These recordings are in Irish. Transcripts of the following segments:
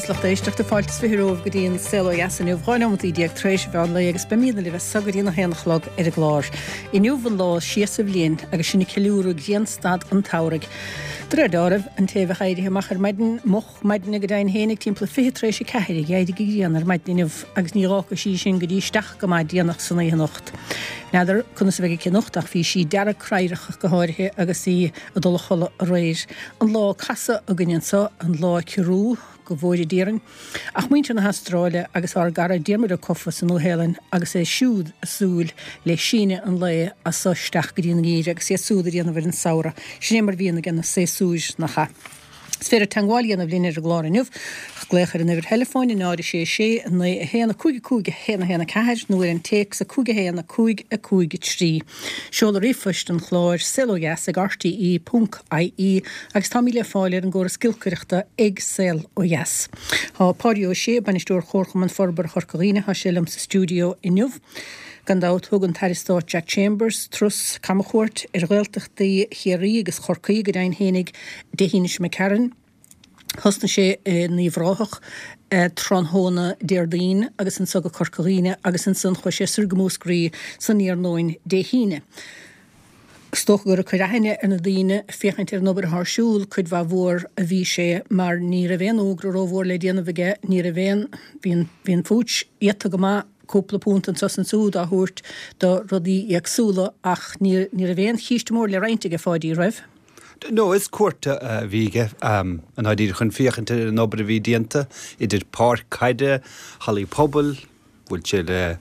is lucht éisteachta, fáilte is 20 romhaibh go dtí an Saol Ó Dheas inniu, 12 nóimeataí tar éis an mheán lae agus beimídne libh as so go dtí an 1 a chlog ar an gclár. Inniu an lá is sia sa bhliain agus sinn ag ceiliúradh grianstad an tsamhraidh. De réir dealraimh, an té a bheadh éirithe amach ar maidin, moch maidine go deimhin féin ag timpeall 3:40 d'éirigh an ghrian ar maidin inniu agus ní dh'fhágfaidh sí sinn go dtí isteach go maith déanach san oíche anocht. N'fheadar conas a bheidh aici anocht ach bhí sí dearg cradharach go háirithe agus í ag dul a chodladh aréir. An lá ag casadh againn anso, an lá ag ciorrú, go bhfóire Dia orainn. Ach muintir na hAstráile agus ár gcara Diarmuid Ó Cofa sa Nua-Shéalainn agus é siúd ag súil le síneadh an lae as so isteach go dtí an ngeimhreadh agus iad súd ag déanamh ar an samhradh. Sin é mar bhíonn aige na séasúir, nach ea? Is féidir teagmháil a dhéanamh linn ar an gclár inniu ach glaoch ar an uimhir theileafóin 0 6 6 9 1 5 5 1 1 4 nó ar an téacs 5 1 5 5 3. Seoladh ríomhphoist an chláir, saolodheas ag rte ponc ie agus táimid le fáil ar an gcóras giolcaireachta ag Saol Ó Dheas. Tá Páidí Ó Sé, Bainisteoir Chomharchumann Forbartha Chorca Dhuibhne, tá sé liom sa stiúideo inniu. Gan dabht, thug an tAire Stáit Jack Chambers turas camchuairt ar Ghaeltachtaí Chiarraí agus Chorcaí go deimhin fhéinig Dé hAoine seo imigh tharainn. Thosnaigh sé in Uíbh Ráthach tráthnóna Déardaoin agus anso go Corca Dhuibhne agus ansan chuaigh sé soir go Múscraí san iarnóin Dé hAoine. Is dócha gur ag cur aithne ar na daoine, féachaint ar an obair atá ar siúl, cuid mhaith mhór a bhí sé mar ní raibh aon fhógra rómhór le déanamh aige, ní raibh aon, bhí an, bhí an phúits iata go maith, cúpla punt anso is ansúd á thabhairt do rudaí éagsúla ach ní, ní raibh aon chíste mór le roinnt aige, a Pháidí, raibh? No, is cuairt a bhí aige, i ndáiríre, chun féachaint ar an obair a bhí déanta, idir páirc caide, hallaí pobail, bhuail sé le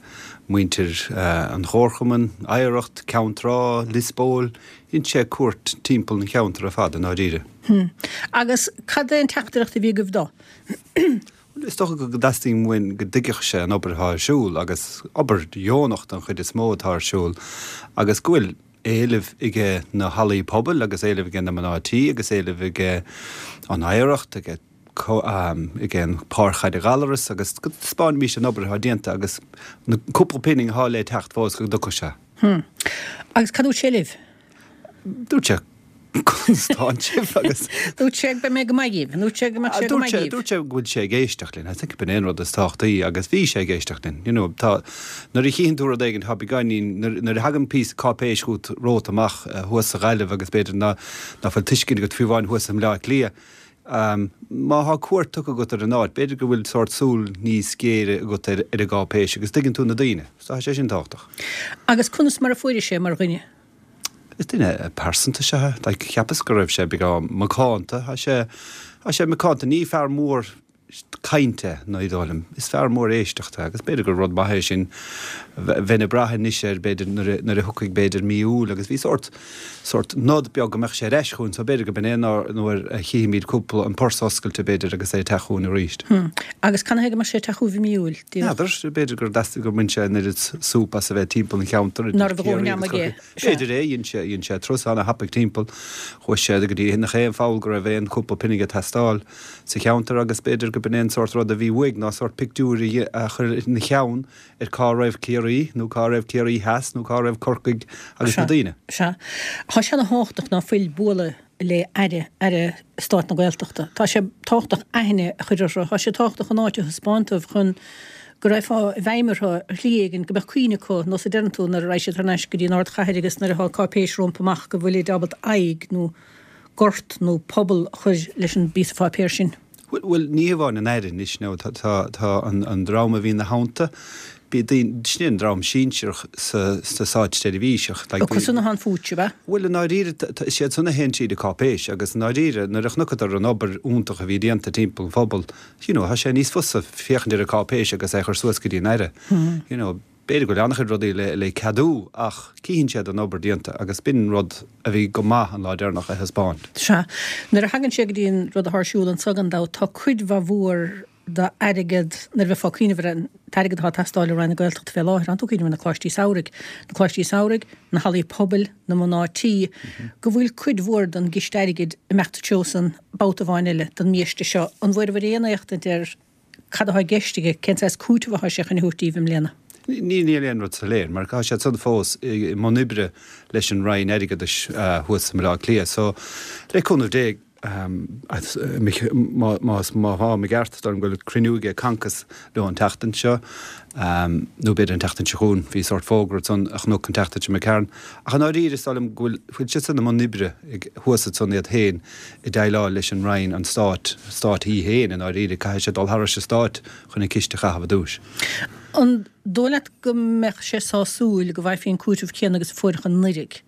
muintir an Chomharchumainn, Oidhreacht, Ceann Trá, Liospóil, dhein sé cuairt timpeall an cheantair ar fad, i ndáiríre. Agus cad é an teachtaireacht a bhí agaibh dó? Bhuel, is dócha go dteastaíonn uainn go dtuigfeadh sé an obair atá ar siúl, agus obair dheonach den chuid is mó atá ar siúl, agus go bhfuil éileamh aige na hallaí pobail agus éileamh aige na mná tí agus éileamh aige an oidhreacht, aige aige an Páirc Chaide Ghallaras agus go dtaispeánfaimís an obair atá déanta agus na cúpla pingin atá le teacht fós go dtiocfadh sé. Hm. Agus cad dúirt sé libh? Dúirt sé conas tánn sibh agus. Dúirt sé beidh mé go maith dhíbh. Dúirt sé go mbeadh sé go maith dhíbh. Dúirt sé go bhfuil sé ag éisteacht linn. I think b'in é an rud is tábhachtaí agus bhí sé ag éisteacht linn. You know, tá, nuair a chíonn tú rud éigin, tá beagáinín, nuair a thagann píosa cáipéis chugat romhat amach thuas sa Ghaillimh agus b'fhéidir ná ná fuil tuiscint agat fiú amháin thuas i mBleá Cliath, má thá cuairt tugtha agat ar an áit, b'fhéidir go bhfuil sórt súil níos géire agat ar an gcáipéis agus tuigeann tú na daoine. So tá sé sin tábhachtach. Agus conas mar a fuairis é mar dhuine? Is duine pearsanta is ea é. Like, cheapas go raibh sé beagán macánta. Tá sé, tá sé macánta. Ní fear mór cainte, ní dóigh liom. Is fear mór éisteachta agus b'fhéidir gur rud maith é sin. Bheinn ag brath anois air, b'fhéidir, nuair a, nuair a thiocfaidh, b'fhéidir, mí Iúil agus bhí sórt, sórt nod beag go mbeadh sé ar ais chugainn so b'fhéidir go b'in é nuair a chífimid cúpla, an pursa oscailte, b'fhéidir, agus é ag teacht chugainn arís. Hm. Agus canathaobh go mbeadh sé ag teacht chugaibh i mí Iúil? N'fheadar, b'fhéidir gur theastaigh gur bhain sé an oiread súp as a bheith timpeall an cheantair idir Ciarraí agus Corcaigh. B'fhéidir é, dhein sé, dhein sé turas ana-thapaidh timpeall, chuaigh sé go dtí nach aon pholl go raibh aon chúpla pingin ag teastáil sa cheantar agus b'fhéidir go b'in é an sórt rud a bhí uaidh ná sórt pictiúir a chur ina cheann ar cá raibh Ciarraí nó cá raibh Ciarraí Theas nó cá raibh Corcaigh agus na daoine. Sea. Tá sé ana thábhachtach ná fuil bualadh le Aire, Aire Stáit na Gaeltachta. Tá sé tábhachtach aithne a chur orthu. Tá sé tábhachtach an áit a thaispeáint dóibh chun go raghfá i bhfeidhm orthu ar shlí éigin, go mbeadh cuimhne acu, nós a deireann tú, nuair a raghaidh siad thar n-ais go dtí an ardchathair agus nuair atá cáipéis rompu amach go bhfuilid ábalta aghaidh nó gort nó pobal a chur leis an bpíosa pháipéir sin. Bhuel, ní hamháin an Aire anois, nó tá, tá, tá an, an dream a bhí ina theannta, bhí daoine, sin an dream sinsearach sa, sa státseirbhís ach like bhí. Acu san atá an phúits, ab ea? Bhuel, i ndáiríre, tá, is iad san a théann tríd an cáipéis agus i ndáiríre, nuair a chonaiceadar an obair iontach a bhí déanta timpeall an phobail, you know, tá sé níos fusa féachaint ar an cáipéis agus é a chur suas go dtí an Aire, you know. B'fhéidir go bhfuil an-chuid rudaí le ceadú ach cífidh siad an obair déanta agus b'in rud a bhí go maith an lá deireanach a thaispeáint. Sea. Nuair a thagann sé go dtí an rud atá ar siúl anso gan dabht, tá cuid mhaith mhór d'airgead, nuair a bheifeá ag cuimhneamh ar an t-airgead atá ag teastáil ó Roinn na Gaeltachta fé láthair, tánn tú ag cuimhneamh ar na coláistí samhraidh, na coláistí samhraidh, na hallaí pobail, na mná tí, go bhfuil cuid mhór den gciste airgid ag imeacht sa treo san babhta amháin eile don mbiaiste seo. An bhfuaireabhair aon éachtaint ar Cad atá i gceist aige? Cén saghas cúiteamh atá sé chun a thabhairt daoibh i mbliana? Níl aon rud soiléir mar tá siad san fós i mbun oibre leis an Roinn Airgeadais thuas i mBaile Átha Cliath. So, le cúnamh Dé. Más má tháim i gceart, is dóigh liom go bhfuil cruinniú aige Concos leo an tseachtain seo, nó b'fhéidir an tseachtain seo chugainn. Bhí sórt fógra ansan a chonac an tseachtain seo imigh tharainn. Ach i ndáiríre, is dóigh liom go bhfuil bhfuil siadsan i mbun oibre ag thuas ansan iad féin ag déileáil leis an Roinn, an Stát, Stát í féin i ndáiríre. Caithfidh sé dul thairis an Stát chun an ciste a chaitheamh i dtús. An dóigh leat go mbeadh sé sásúil go bhfaighfí an cúiteamh céanna agus a fuaireadh anuraidh?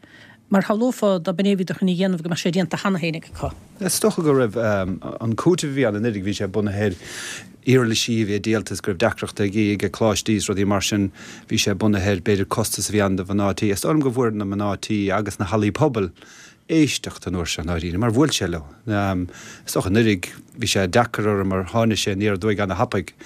Mar shamhlófá dá b'in é a bhíodar chun a dhéanamh go mbeadh sé déanta cheana féin acu. Is dócha go raibh an cúiteamh a bhí ann anuraidh, bhí sé bunaithe ar uirlisí a bhí díolta is go raibh deacrachtaí ag ag coláistí is rudaí mar sin. Bhí sé bunaithe ar b'fhéidir costas a bhí ann do mhná tí. Is dóigh liom go bhfuair na mná tí agus na hallaí pobail éisteacht an uair seo i ndáiríre mar bhuail sé leo. Is dócha anuraidh bhí sé deacair orthu mar tháinig sé aniar aduaidh ana-thapaidh.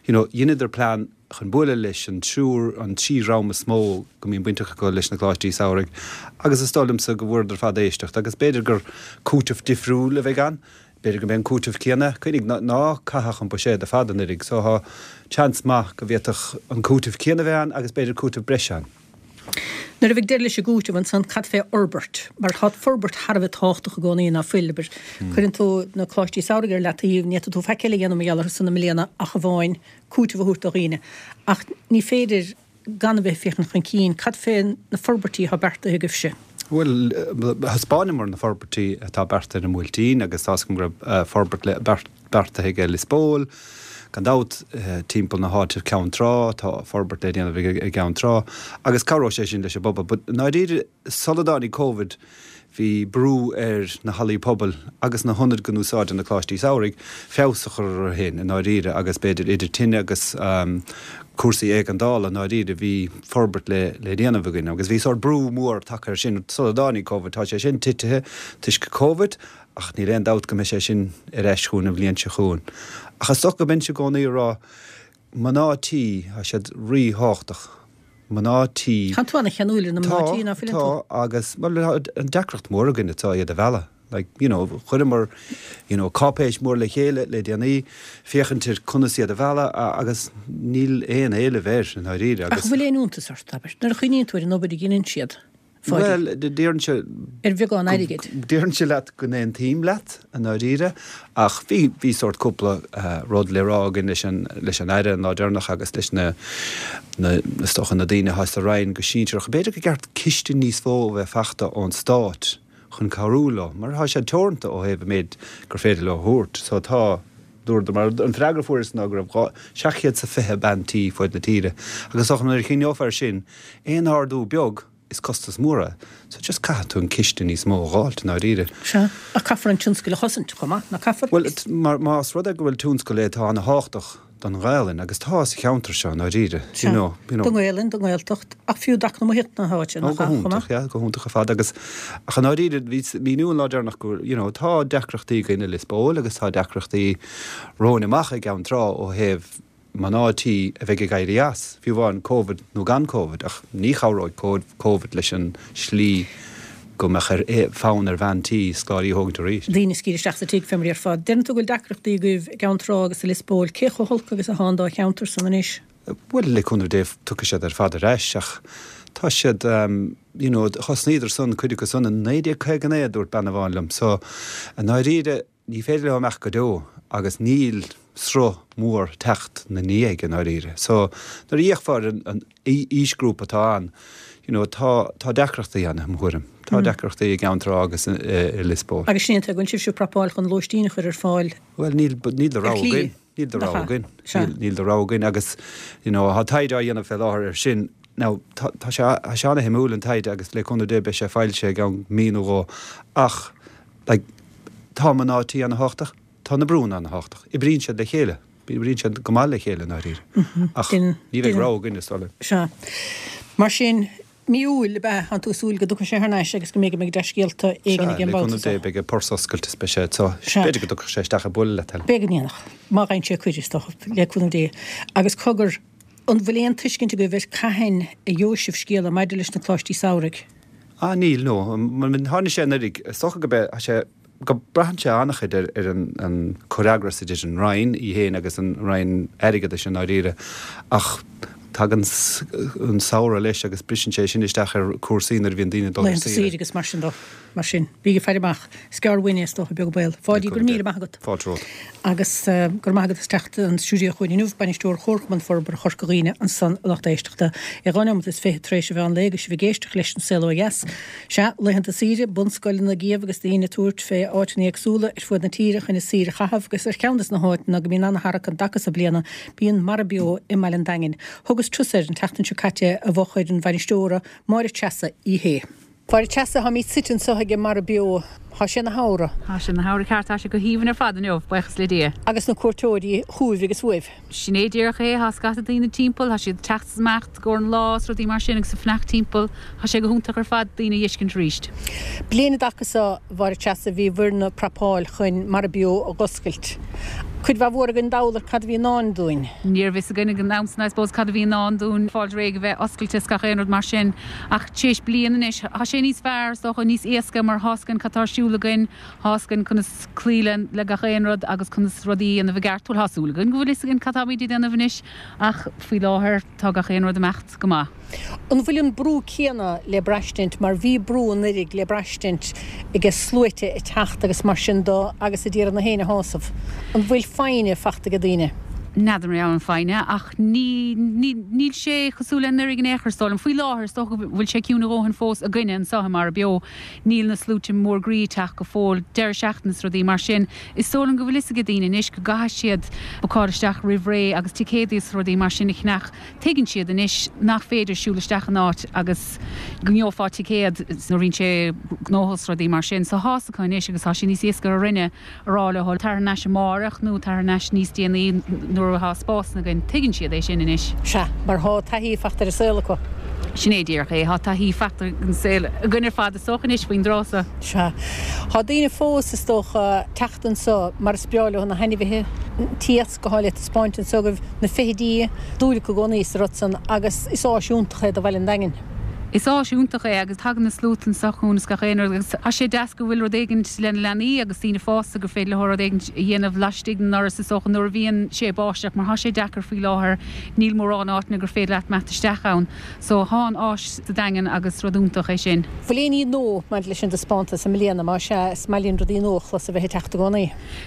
You know, dheineadar plean chun bualadh leis an triúr, an trí dhream is mó go mbíonn baint acu leis na coláistí samhraidh agus is dóigh liomsa go bhfuaireadar ar fad éisteacht agus b'fhéidir gur cúiteamh difriúil a bheidh ann, b'fhéidir go mbeidh an cúiteamh céanna, cuimhnigh ná caitheadh an buiséad ar fad anuraidh so tá seans maith go bhféadfadh an cúiteamh céanna a bheith ann agus b'fhéidir cúiteamh breise ann. Nuair a bheidh deireadh leis an gcúiteamh ansan, cad fé fhorbairt? Mar tá forbairt thar a bheith tábhachtach i gcónaí, ná fuil? Abair, cuireann tú na coláistí samhraidh ar leataobh, ní fhéadfaidh tú faic eile a dhéanamh mar gheall orthu san i mbliana ach amháin cúiteamh a thabhairt do dhaoine. Ach ní féidir gan a bheith ag féachaint chun cinn. Cad fé na forbairtí atá beartaithe agaibhse? Bhuel, thaispeáineamar na forbairtí atá beartaithe ar an mBuailtín agus tá's agam go raibh forbairt beartaithe aige Lios Póil. Gan dabht, timpeall na háite Ceann Trá, tá forbairt le déanamh i gCeann Trá agus cabhróidh sé sin leis an bpobal. But i ndáiríre, sula dtáinig Covid, bhí brú ar na hallaí pobail agus na hionaid go n-úsáideann na coláistí samhraidh feabhas a chur orthu féin i ndáiríre agus b'fhéidir idir tine agus cúrsaí éigeandála i ndáiríre bhí forbairt le le déanamh againn agus bhí sórt brú mór tagtha air sin sula dtáinig Covid. Tá sé sin titithe toisc Covid ach níl aon dabht go mbeidh sé sin ar ais chugainn an bhliain seo chugainn. Ach is dócha go mbeinnse i gcónaí ag rá mná tí, tá siad ríthábhachtach. Mná tí. Tá tú ana-cheanúil ar na mná tí, ná fuileann tú? Tá, tá, agus, bhuel, tá an deacracht mór againn atá iad a mhealladh. Like, you know, chuireamar, you know, cáipéis mór le chéile le déanaí, féachaint ar conas iad a mhealladh agus níl aon éileamh air, i ndáiríre, agus. Ach an bhfuil aon iontas ort, abair, nuair a chuimhníonn tú ar an obair a dheineann siad? Bhuel, déarfainnse. Ar bheagán airgid. Déarfainnse leat go n-aontaím leat, i ndáiríre, ach bhí, bhí sórt cúpla rud le rá againn leis an, leis an Aire an lá deireanach agus leis na, na, is dócha na daoine atá sa Roinn go sinsearach. B'fhéidir gur ceart ciste níos mó a bheith fachta ón Stát chun cabhrú leo, mar tá sé teoranta ó thaobh an méid gur féidir leo a thabhairt. So tá, dúradar, mar an freagra a fuaireas ná go raibh 720 bean tí fuaid na tíre agus is dócha nuair a chuimhneofar air sin, aon ardú beag, is costas mór é. So just caithfidh tú an ciste níos mó a dh'fháilt, i ndáiríre. Sea, ach caithfear an tionscal a chosaint chomh maith, nach caithfear? Bhuel, mar, más rud é go bhfuil tionscal é atá ana-thábhachtach don Ghaelainn, agus tá sa cheantar seo, i ndáiríre, you know, you know. Don Ghaelainn, don Ghaeltacht, ach fiú d'eacnamaíocht na háite, nach ea, chomh maith? Ó, go hiontach, yeah, go hiontach ar fad, agus, ach i ndáiríre, bhí míniú an lá deireanach go, you know, tá deacrachtaí againn i Lios Póil agus tá deacrachtaí romhainn amach i gCeann Trá ó thaobh mná tí a bheidh ag éirí as, fiú amháin Covid nó gan Covid, ach ní chabhróidh Covid leis an slí go mbeadh ar fonn ar bhean tí scoláirí a thógaint arís. Daoine a scaoileadh isteach sa tigh fé mar a déarfá. Deireann tú go bhfuil deacrachtaí agaibh i gCeann Trá agus i Lios Póil. Cé chomh holc agus atá an dá cheantar san anois? Bhuel, le cúnamh Dé tiocfaidh siad ar fad ar ais ach tá siad, you know, thosnaíodar san, cuid acu san i 1959 a dúirt bean amháin liom. So, i ndáiríre, Ní féidir leo imeacht go deo agus níl sruth mór teacht 'na ndiaidh i ndáiríre. So nuair a fhéachfá ar an aoisghrúpa atá ann, you know, tá, tá deacrachtaí ann, i mo thuairim. Tá deacrachtaí i gCeann Trá agus i Lios Póil. Agus sin é an tuige go bhfuil sibhse ag prapáil chun lóistín a chur ar fáil Bhuel, níl, níl de rogha againn. Níl de rogha againn. Níl de rogha againn agus, you know, tá taighde á dhéanamh fé láthair air sin. Now, tá, tá sé, tá sé ana-shuimiúil an taighde agus le cúnamh Dé beidh sé foilsithe i gceann mí nó dhó. Ach, Like, tá mná tí ana-thábhachtach, tá na brúnna ana-thábhachtach. Oibríonn siad le chéile. Oibríonn siad go maith le chéile, i ndáiríre. Ach ní bheidh rogha againn, is dóigh liom. Sea. Mar sin, mí Iúil, ab ea? Tánn tú ag súil go dtiocfaidh sé thar n-ais agus go mbeidh go mbeidh dea-scéalta éigin Sea, aige le an babhta cúnamh Dé, seo. beidh a purse oscailte is beidh sé so. Sea. B'fhéidir go dtiocfadh sé isteach ag bualadh leat, Helen. Beidh go ndéanfadh. Má fhaigheann sé cuireadh, is dócha, le cúnamh Dé. Agus cogar, an bhfuil aon tuiscint agaibh ar cathain a gheobhaidh sibh scéala maidir leis na coláistí samhraidh? Ah níl, no. Tháinig sé anuraidh, is dócha go mbeidh sé, go braitheann sé an-chuid ar ar an an comhfhreagras idir an Roinn í féin agus an Roinn Airgeadais i ndáiríre. Ach. Tagann an samhradh leis agus briseann sé sin isteach ar cúrsaí nuair a bhíonn daoine ag dul ar saoire. Laethanta saoire agus mar sin de. Mar sin, bígí ag faire amach. Is gearr uainn é is dócha, beag an baol. Pháidí, go raibh míle maith agat. Fáilte romhat. Agus go raibh maith agat as teacht an stiúideo chugainn inniu, Bainisteoir Chomharchumann Forbartha Chorca Dhuibhne ansan, a lucht éisteachta. É 12 nóimeat tar éis an mheán lae agus sibh ag éisteacht leis An Saol Ó Dheas. Sea, laethanta saoire, bunscoileanna ag iamh agus daoine ag tabhairt fé áiteanna éagsúla ar fuaid na tíre chun a saoire a chaitheamh agus ar cheann des na háiteanna go mbíonn ana-tharrac an dtaca so bliana bíonn Mara Beo i mBaile an Daingin. Thugas turas air an tseachtain seo caite i bhfochair an bhainisteora, Máire Treasa Uí Shé. Máire Treasa, táimid suite anseo ag Mara Beo. Tá sé ina shamhradh. Tá sé ina shamhradh ceart. Tá sé go haoibhinn ar fad inniu, buíochas le Dia. Agus na cuairteoirí chugaibh agus uaibh. Sin é díreach é. Tá scata daoine timpeall. Tá siad ag teacht is imeacht i gcomhair an lá is rudaí mar sin agus ag fanacht timpeall. Tá sé go hiontach ar fad daoine a dh'fheiscint arís. Bliain an dtaca so, a Mháire Treasa, bhí bhur n-prapáil chun Mara Beo a dh'oscailt. Cuid mhaith mhór againn dall ar cad a bhí i ndán dúinn. Ní raibh fhios againn ag an am san, I suppose, cad a bhí i ndán dúinn, fáilt réidh a bheith oscailte is gach aon rud mar sin. Ach tar éis bliain anois, tá sé níos fearr, is dócha, níos éasca mar thá's againn cad tá ar siúl againn, thá's againn conas cloí le gach aon rud agus conas rudaí a dhéanamh i gceart. Bhuel, tá súil againn go bhfuil fhios againn cad táimid ag déanamh anois ach faoi láthair tá gach aon rud ag imeacht go maith. An bhfuil an brú céanna le braistint mar bhí brú anuiridh le braistint aige sluaite ag teacht agus mar sin do agus ag iarraidh na héinne a shásamh? An bhfuil foighne fachta aige daoine? N'fheadar mar gheall ar an foighne ach ní, ní, níl sé cosúil le anuraidh in aon chor is dóigh liom. Faoi láthair is dócha go bhfuil sé ciúin a dhóthain fós againne anseo i Mara Beo. Níl na sluaite mór groí ag teacht go fóill, deireadh seachtaine is rudaí mar sin. Is dóigh liom go bhfuil fhios aige daoine anois go gcaithfidh siad bookáil isteach roimh ré agus ticéadaí is rudaí mar sin a cheannach. Tuigeann siad anois nach féidir siúl isteach in áit agus go ngeofá ticéad nuair a bhíonn sé gnóthach is rudaí mar sin. So thá's acu anois agus tá sé níos éasca orainne a rá leo tar thar n-ais amáireach nó tar thar n-ais níos déanaí nuair atá spásanna againn. Tuigeann siad é sin anois. Sea, mar thá taithí fachta ar an saol acu. Sin é díreach é. Thá taithí fachta ar an saol againn ar fad is dócha anois faoin dtráth so. Sea. Thá daoine fós, is dócha, teacht anso mar is breá leo na hainmhithe, an t-iasc, atá le taispeáint anso agaibh, na feithidí, dúil acu i gcónaí sa rud san agus is áis iontach é do Bhaile an Daingin. Is áis iontach é agus tagann na sluaite anso chugainn is gach aon rud agus tá sé deas go bhfuil rud éigint le na leanaí agus daoine fásta gur féidir leo rud éigint a dhéanamh laistigh den ndoras is dócha nuair a bhíonn sé ag báisteach mar tá sé deacair faoi láthair níl mórán áiteanna gur féidir leat imeacht isteach ann so thá an áis sa Daingean agus rud iontach é sin. Bhfuil aon ní nua maidir leis an dtaispeántas i mbliana? Má sea, is maith linn rudaí nua a chlos a bheith ag teacht i gcónaí.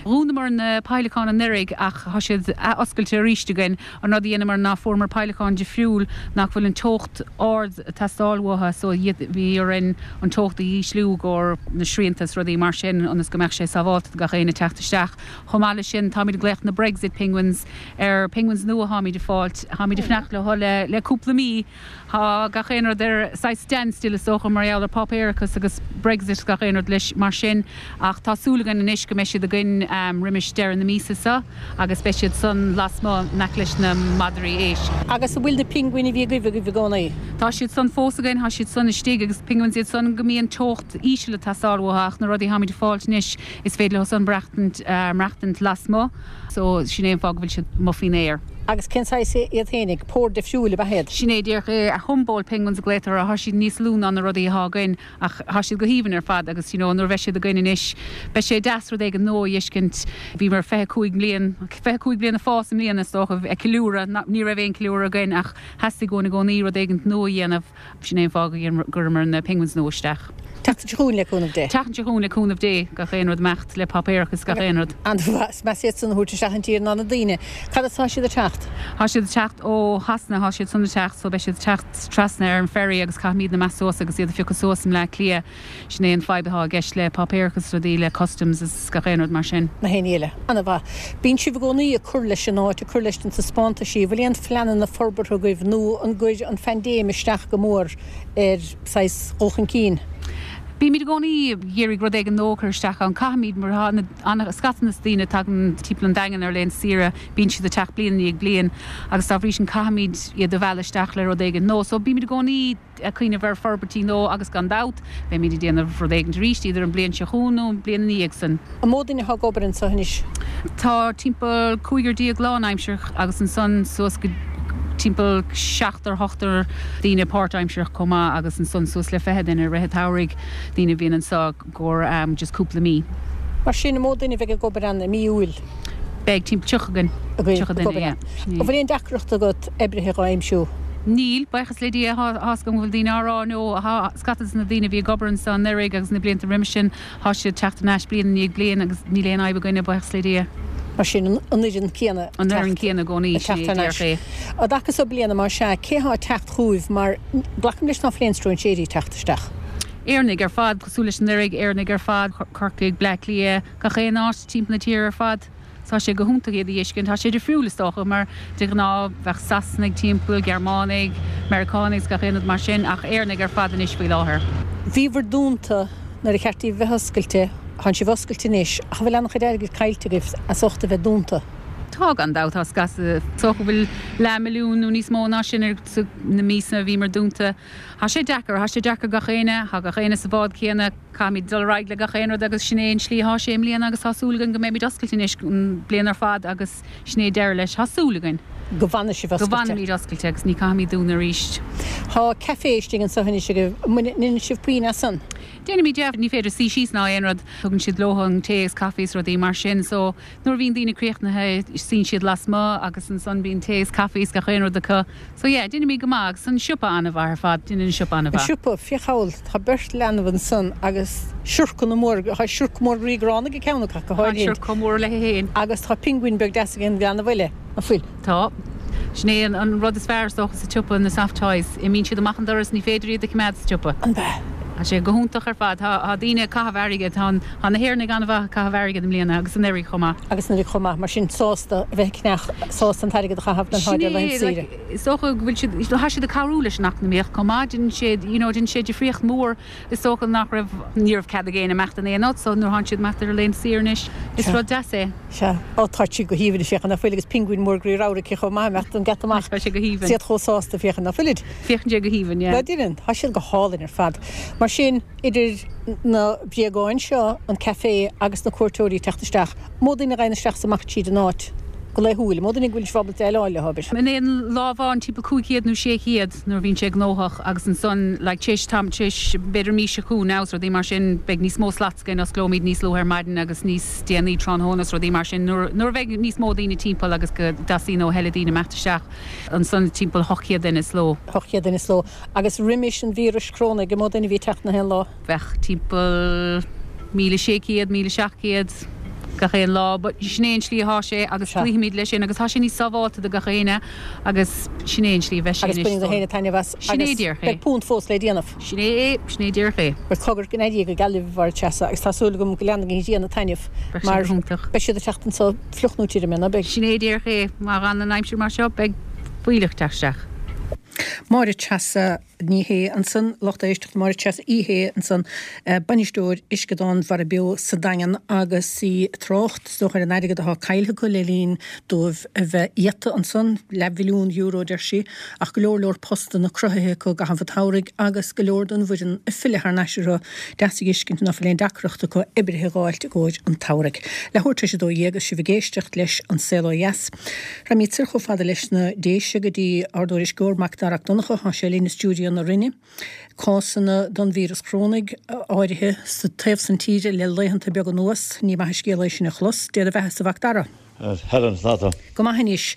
Dhúnamar na peidhleacáin anuraidh ach tá siad ath-oscailte arís againn. An rud a dheineamar ná fuaireamar peidhleacáin difriúil nach bhfuil an teocht ard ag teastáil uathu so bhí orainn an teocht a dhísliú i gcomhair na srianta is rudaí mar sin ionas go mbeadh sé sábhálta do gach éinne teacht isteach. Chomh maith leis sin táimid ag glaoch na Brexit Penguins ar penguins nua tháimid ag fáilt. Tháimid ag fanacht leo le cúpla mí. Tá gach aon rud ar saghas standstill is dócha mar gheall ar páipéarachas agus Brexit is gach aon rud leis mar sin ach tá súil againn anois go mbeidh siad againn roimis deireadh na míosa seo agus beidh siad san lasmuigh in aice leis na madraí éisc. Agus an bhfuil na pinguin a bhí agaibh agaibh i gcónaí? Tá siad san fós againn, tá siad san istigh agus penguins iad san go mbíonn teocht íseal ag teastáil uathu ach na rudaí tháimid ag fáilt anois is féidir leo san maireachtaint lasmuigh. So, sin é an fáth go bhfuil siad amuigh faoin aer. Agus cén saghas iad fhéinig? Pór difriúil ab ea iad? Sin é díreach é. Humboldt penguins a glaotar orthu. Thá siad níos lú ná na rudaí athá againn ach thá siad go haoibhinn ar fad agus you know nuair a bheidh siad againn anois beidh sé deas rud éigin nua a dh'fheiscint. Bhíomar 25 mbliain, 25 bliain ag fás i mbliana is dócha, ag ceiliúradh. Ní raibh aon ceiliúradh againn ach theastaigh uainn i gcónaí rud éigin nua a dhéanamh. Sin é an fáth go gcuireamar na penguins nua isteach. An tseachtain seo chugainn le cúnamh Dé. An tseachtain seo chugainn le cúnamh Dé, gach aon rud imeacht le páipéarachas gach aon rud. An-mhaith. Is measa iad san a thabhairt isteach an tír ná na daoine. Cad as tá siad ag teacht? Tá siad ag teacht ó Shasana, tá siad san ag teacht so beidh siad ag teacht trasna ar an ferry agus caithfimid imeacht suas agus iad a phiocadh suas i mBleá Cliath. Sin é an fadhb atá i gceist le páipéarachas rudaí le customs is gach aon rud mar sin. Na haon ní eile. An-mhaith. Bíonn sibh i gcónaí ag cur leis an áit, ag cur leis na taispeántaisí. Bhfuil aon phleananna forbartha agaibh nó an gcuir an phaindéim isteach go mór ar saghas dhul chun cinn? Bímid i gcónaí ag iarraidh rud éigin nua a chur isteach ann. Caithfimid mar tá ana scata na daoine a tagann timpeall an Daingin ar laethanta saoire, bíonn siad ag teacht bliain i ndiaidh bliain agus dá bhrí sin caithfimid iad a mhealladh isteach le rud éigin nua. So bímid i gcónaí. ag cuimhneamh ar forbairtí nua agus gan dabht, beimid ag déanamh rud éigin arís, idir an bliain seo chugainn nó an bliain ina dhiaidh san. An mó duine atá ag obair anseo anois? Tá timpeall cúigear déag lánaimsearach agus ansan suas go timpeall seachtar, ochtar daoine páirtaimsearach chomh maith agus ansan suas le 20 duine i rith an tsamhraidh, daoine a bhíonn anseo i gcomhair just cúpla mí. Mar sin, an mó duine a bheidh ag obair ann i mí Iúil? Beidh timpeall 30 againn. Agaibh, 30 duine, yeah. An bhfuil aon deacracht agat oibrithe dhá aimsiú? Níl, buíochas le Dia, tá 's agam go bhfuil daoine á rá no, tá scata de na daoine a bhí ag obair anseo anuraidh agus na blianta roimis sin, tá siad ag teacht thar n-ais bliain i ndiaidh bliain agus níl aon fhadhb againne, buíochas le Dia. Mar sin, an fhoireann céanna ag teacht. An fhoireann céanna i gcónaí, ag teacht thar n-ais. Á dtaca so bliana, más ea, cé thá ag teacht chugaibh mar glacaim leis ná fuil aon stróinséirí ag teacht isteach? Éireannaigh ar fad, cosúil leis anuraidh, Éireannaigh ar fad, Corcaigh, Bleá Cliath, gach aon áit timpeall na tíre ar fad. Tá sé go hiontach iad a fheiscint. Tá sé difriúil is dócha mar de ghnáth bheadh Sasanaigh timpeall, Gearmánaigh, Meiriceánaigh is gach aon rud mar sin ach Éireannaigh ar fad anois faoi láthair. Bhíobhair dúnta nuair a cheart daoibh bheith oscailte, thánn sibh oscailte anois ach an bhfuil an-chuid airgid caillte agaibh as ucht a bheith dúnta? Tá gan dabht, tá scata. Is dócha go bhfuil leathmhilliún nó níos mó ná sin ar na míosa a bhíomar dúnta. Tá sé deacair, tá sé deacair gach éinne, tá gach éinne sa bhád céanna. Caithfimid dul ar aghaidh le gach aon rud agus sin é an slí atá sé i mbliana agus tá súil againn go mbeimid oscailte anois an bliain ar fad agus sin é deireadh leis. Tá súil againn. Go bhfanfaidh sibh oscailte. Go bhfanfaimid oscailte agus ní caithfimid dúnadh arís. Tá café istigh anseo anois agaibh. An ndéanann sibh puinn as san? Déanaimid, yeah. Ní féidir suí síos ná aon rud. Tugann siad leo an tae agus caife is rudaí mar sin so nuair a bhíonn daoine críochnaithe suíonn siad lasmuigh agus ansan bíonn tae is caife is gach aon rud acu. So yeah, déanaimid go maith agus an siopa an-mhaith ar fad, déanann an siopa an-mhaith. An siopa, féach thall, tá beirt leanbh ansan agus siorcanna mór, tá siorc mór groí gránna ag ceann acu go Tá an háirithe. siorc chomh mór léi féin. Agus tá pingin beag deas ag an leanbh eile, an bhfuil? Tá. Sin é an rud is fearr is dócha sa tsiopa, na soft toys. Imíonn siad amach an doras, ní féidir iad a choimeád sa tsiopa. An b'ea? Tá sé go hiontach ar fad. Tá daoine ag caitheamh airgid, tá na hÉireannaigh an-mhaith ag caitheamh airgid i mbliana agus anuraidh chomh maith. Agus anuraidh chomh maith, mar sin sásta a bheith ag ceannach, sásta an t-airgead a chaitheamh don Sin tháid ar é, laethanta saoire. like, is dócha go bhfuil siad, tá siad ag cabhrú leis an eacnamaíocht chomh maith, déanann siad, you know, déanann sé difríocht mhór, is dócha nach raibh, ní raibh cead ag éinne imeacht in aon áit, so nuair atánn siad imeacht ar a laethanta saoire anois, is Sea. rud deas é. Sea. Ó, tá sí go haoibhinn, féach, nach bhfuil, agus pinguin mór groí ramhar aici chomh maith, imeacht an geata amach. Tá sé go haoibhinn. Is iad chomh sásta, féach, nach bhfuilid? Féachann sé go haoibhinn, yeah. Ná déanann, tá siad go hálainn ar fad. Mar sin, idir na bréagáin seo, an café agus na cuairteoirí ag teacht isteach, mó daoine a ghabhann isteach is amach tríd an áit go laethúil, mó daoine go bhfuil sibh ábalta déileáil leo, abair. In aon lá amháin timpeall 500 nó 600 nuair a bhíonn sé gnóthach agus ansan like tar éis tam, tar éis b'fhéidir mí seo chugainn now is rudaí mar sin beidh níos mó slots againn, osclóimid níos luaithe ar maidin agus níos déanaí tráthnóna is rudaí mar sin nuair, nuair a bheidh níos mó daoine timpeall agus go dteastaíonn ó thuilleadh daoine imeacht isteach ansan timpeall 800 duine sa ló. 800 duine sa ló. Agus roimis an víreas chrónaigh, an mó duine a bhí ag teacht na haon lá? Bheadh timpeall 1,600, 1,700 gach aon lá. But sin é an slí athá sé agus cloífimid leis sin agus tá sé níos sábháilte do gach éinne agus sin é an slí a bheidh sé anois. Agus baineann gach éinne taitneamh as Sin é agus díreach é. beidh punt fós le déanamh. Sin é é, sin é díreach é. Bhuel cogar go n-éirí go geal libh a Mháire Treasa agus tá súil agam go leanfaidh an ghrian ag taitneamh Beidh sé mar go hiontach. beidh siad ag teacht anso fliuch nó tirim, ná beidh? Sin é díreach é. Má fhanann an aimsir mar seo beidh fuílleach ag teacht isteach. Máire Treasa Ní Shé ansan, lucht éisteachta, Máire Treasa Uí Shé ansan, bainisteoir Uisceadán Mhara Beo sa Daingean agus í ag trácht, is dócha, ar an airgead atá caillthe acu le linn dóibh a bheith iata ansan, leathmhilliún euro, deir sí, ach go leor leor postanna cruthaithe acu i gcaitheamh an tsamhraidh agus go leor den bhfoireann ag filleadh thar n-ais orthu. Deas a dh'fheiscint ná fuil aon deacracht acu oibrithe a dh'fháilt i gcomhair an tsamhraidh. Leathuair tar éis a 12 agus sibh ag éisteacht leis An Saol Ó Dheas. Raghaimid soir chomh fada leis na Déise go dtí ár dtuairisceoir Mac Dara 'Ac Donncha. Tá sé linn i stiúideo na Rinne. Cásanna den víreas chrónaigh áirithe sa taobh san tíre le laethanta beaga anuas. Ní maith an scéal é sin a chlos. Dé do bheathasa a Mhac Dara. Helen, conas tá tú? Go maith anois.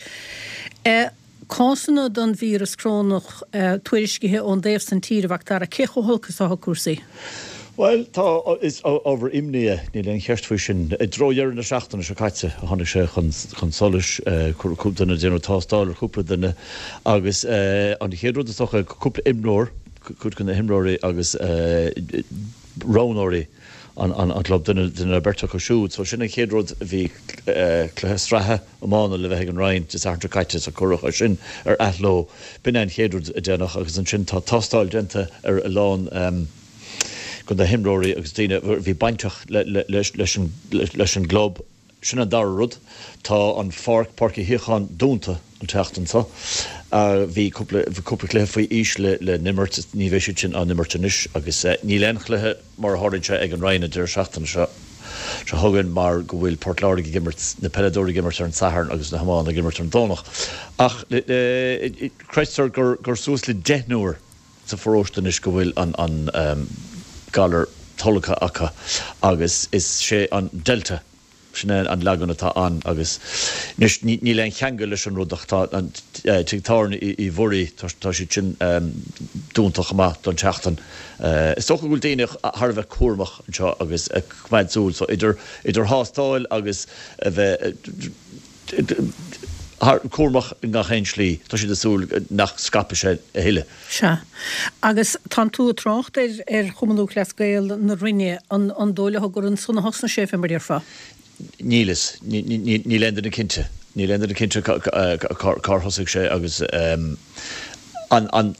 Cásanna den víreas crónach tuairiscithe ón dtaobh san tíre, a Mhac Dara. Cé chomh holc is atá cúrsaí? Bhuel, tá, is ábhar imní é, níl aon cheist faoi sin. I dtreo dheireadh na seachtaine seo caite a tháinig sé chun solais, cúpla duine, déanadh tástáil ar chúpla duine agus an chéad rud is dócha, cúpla imreoir, cuid de na himreoirí agus roghnóirí an chlub, duine nó beirt acu siúd. So sin an chéad rud, bhí cluiche sraithe iomána le bheith ag an Rinn Dé Sathairn seo caite so cuireadh é sin ar athló. B'in é an chéad rud a déanadh agus ansin tá tástáil déanta ar a lán de na himreoirí agus daoine a bhí bainteach leis an gclub. Sin an dara rud. Tá an pháirc, Páirc Uí Shíocháin, dúnta an tseachtain seo. Bhí cúpla cluiche faoi aois le n-imirt, ní bheidh siad sin á n-imirt anois agus níl aon chluiche, mar a tharlaíonn sé ag an Rinn an deireadh seachtaine seo chugainn mar go bhfuil Port Láirge ag imirt, na peileadóirí ag imirt ar an Satharn agus na hiománaithe ag imirt ar an Domhnach. Ach creidtear gur suas le deichniúr sa pharóiste anois go bhfuil an galar tolgtha acu agus is sé an Delta. Sin é an leagan atá ann agus anois níl aon cheangal leis an rud ach tá an tigh tábhairne Uí Mhuirí, tá siad sin dúnta chomh maith don tseachtain. Is dócha go bhfuil daoine thar a bheith cúramach anseo agus ag coimeád súil so idir idir thástáil agus a bheith cúramach i ngach aon slí, tá siad ag súil nach scaipfidh sé a thuilleadh. Sea. Agus tánn tú ag trácht ar ar Chumann Lúthchleas Gael na Rinne, an an dóigh leat gur ansan a thosnaigh sé, fé mar a déarfá? Níl fhios. Níl aon duine cinnte. Níl aon duine cinnte cár thosaigh sé agus an an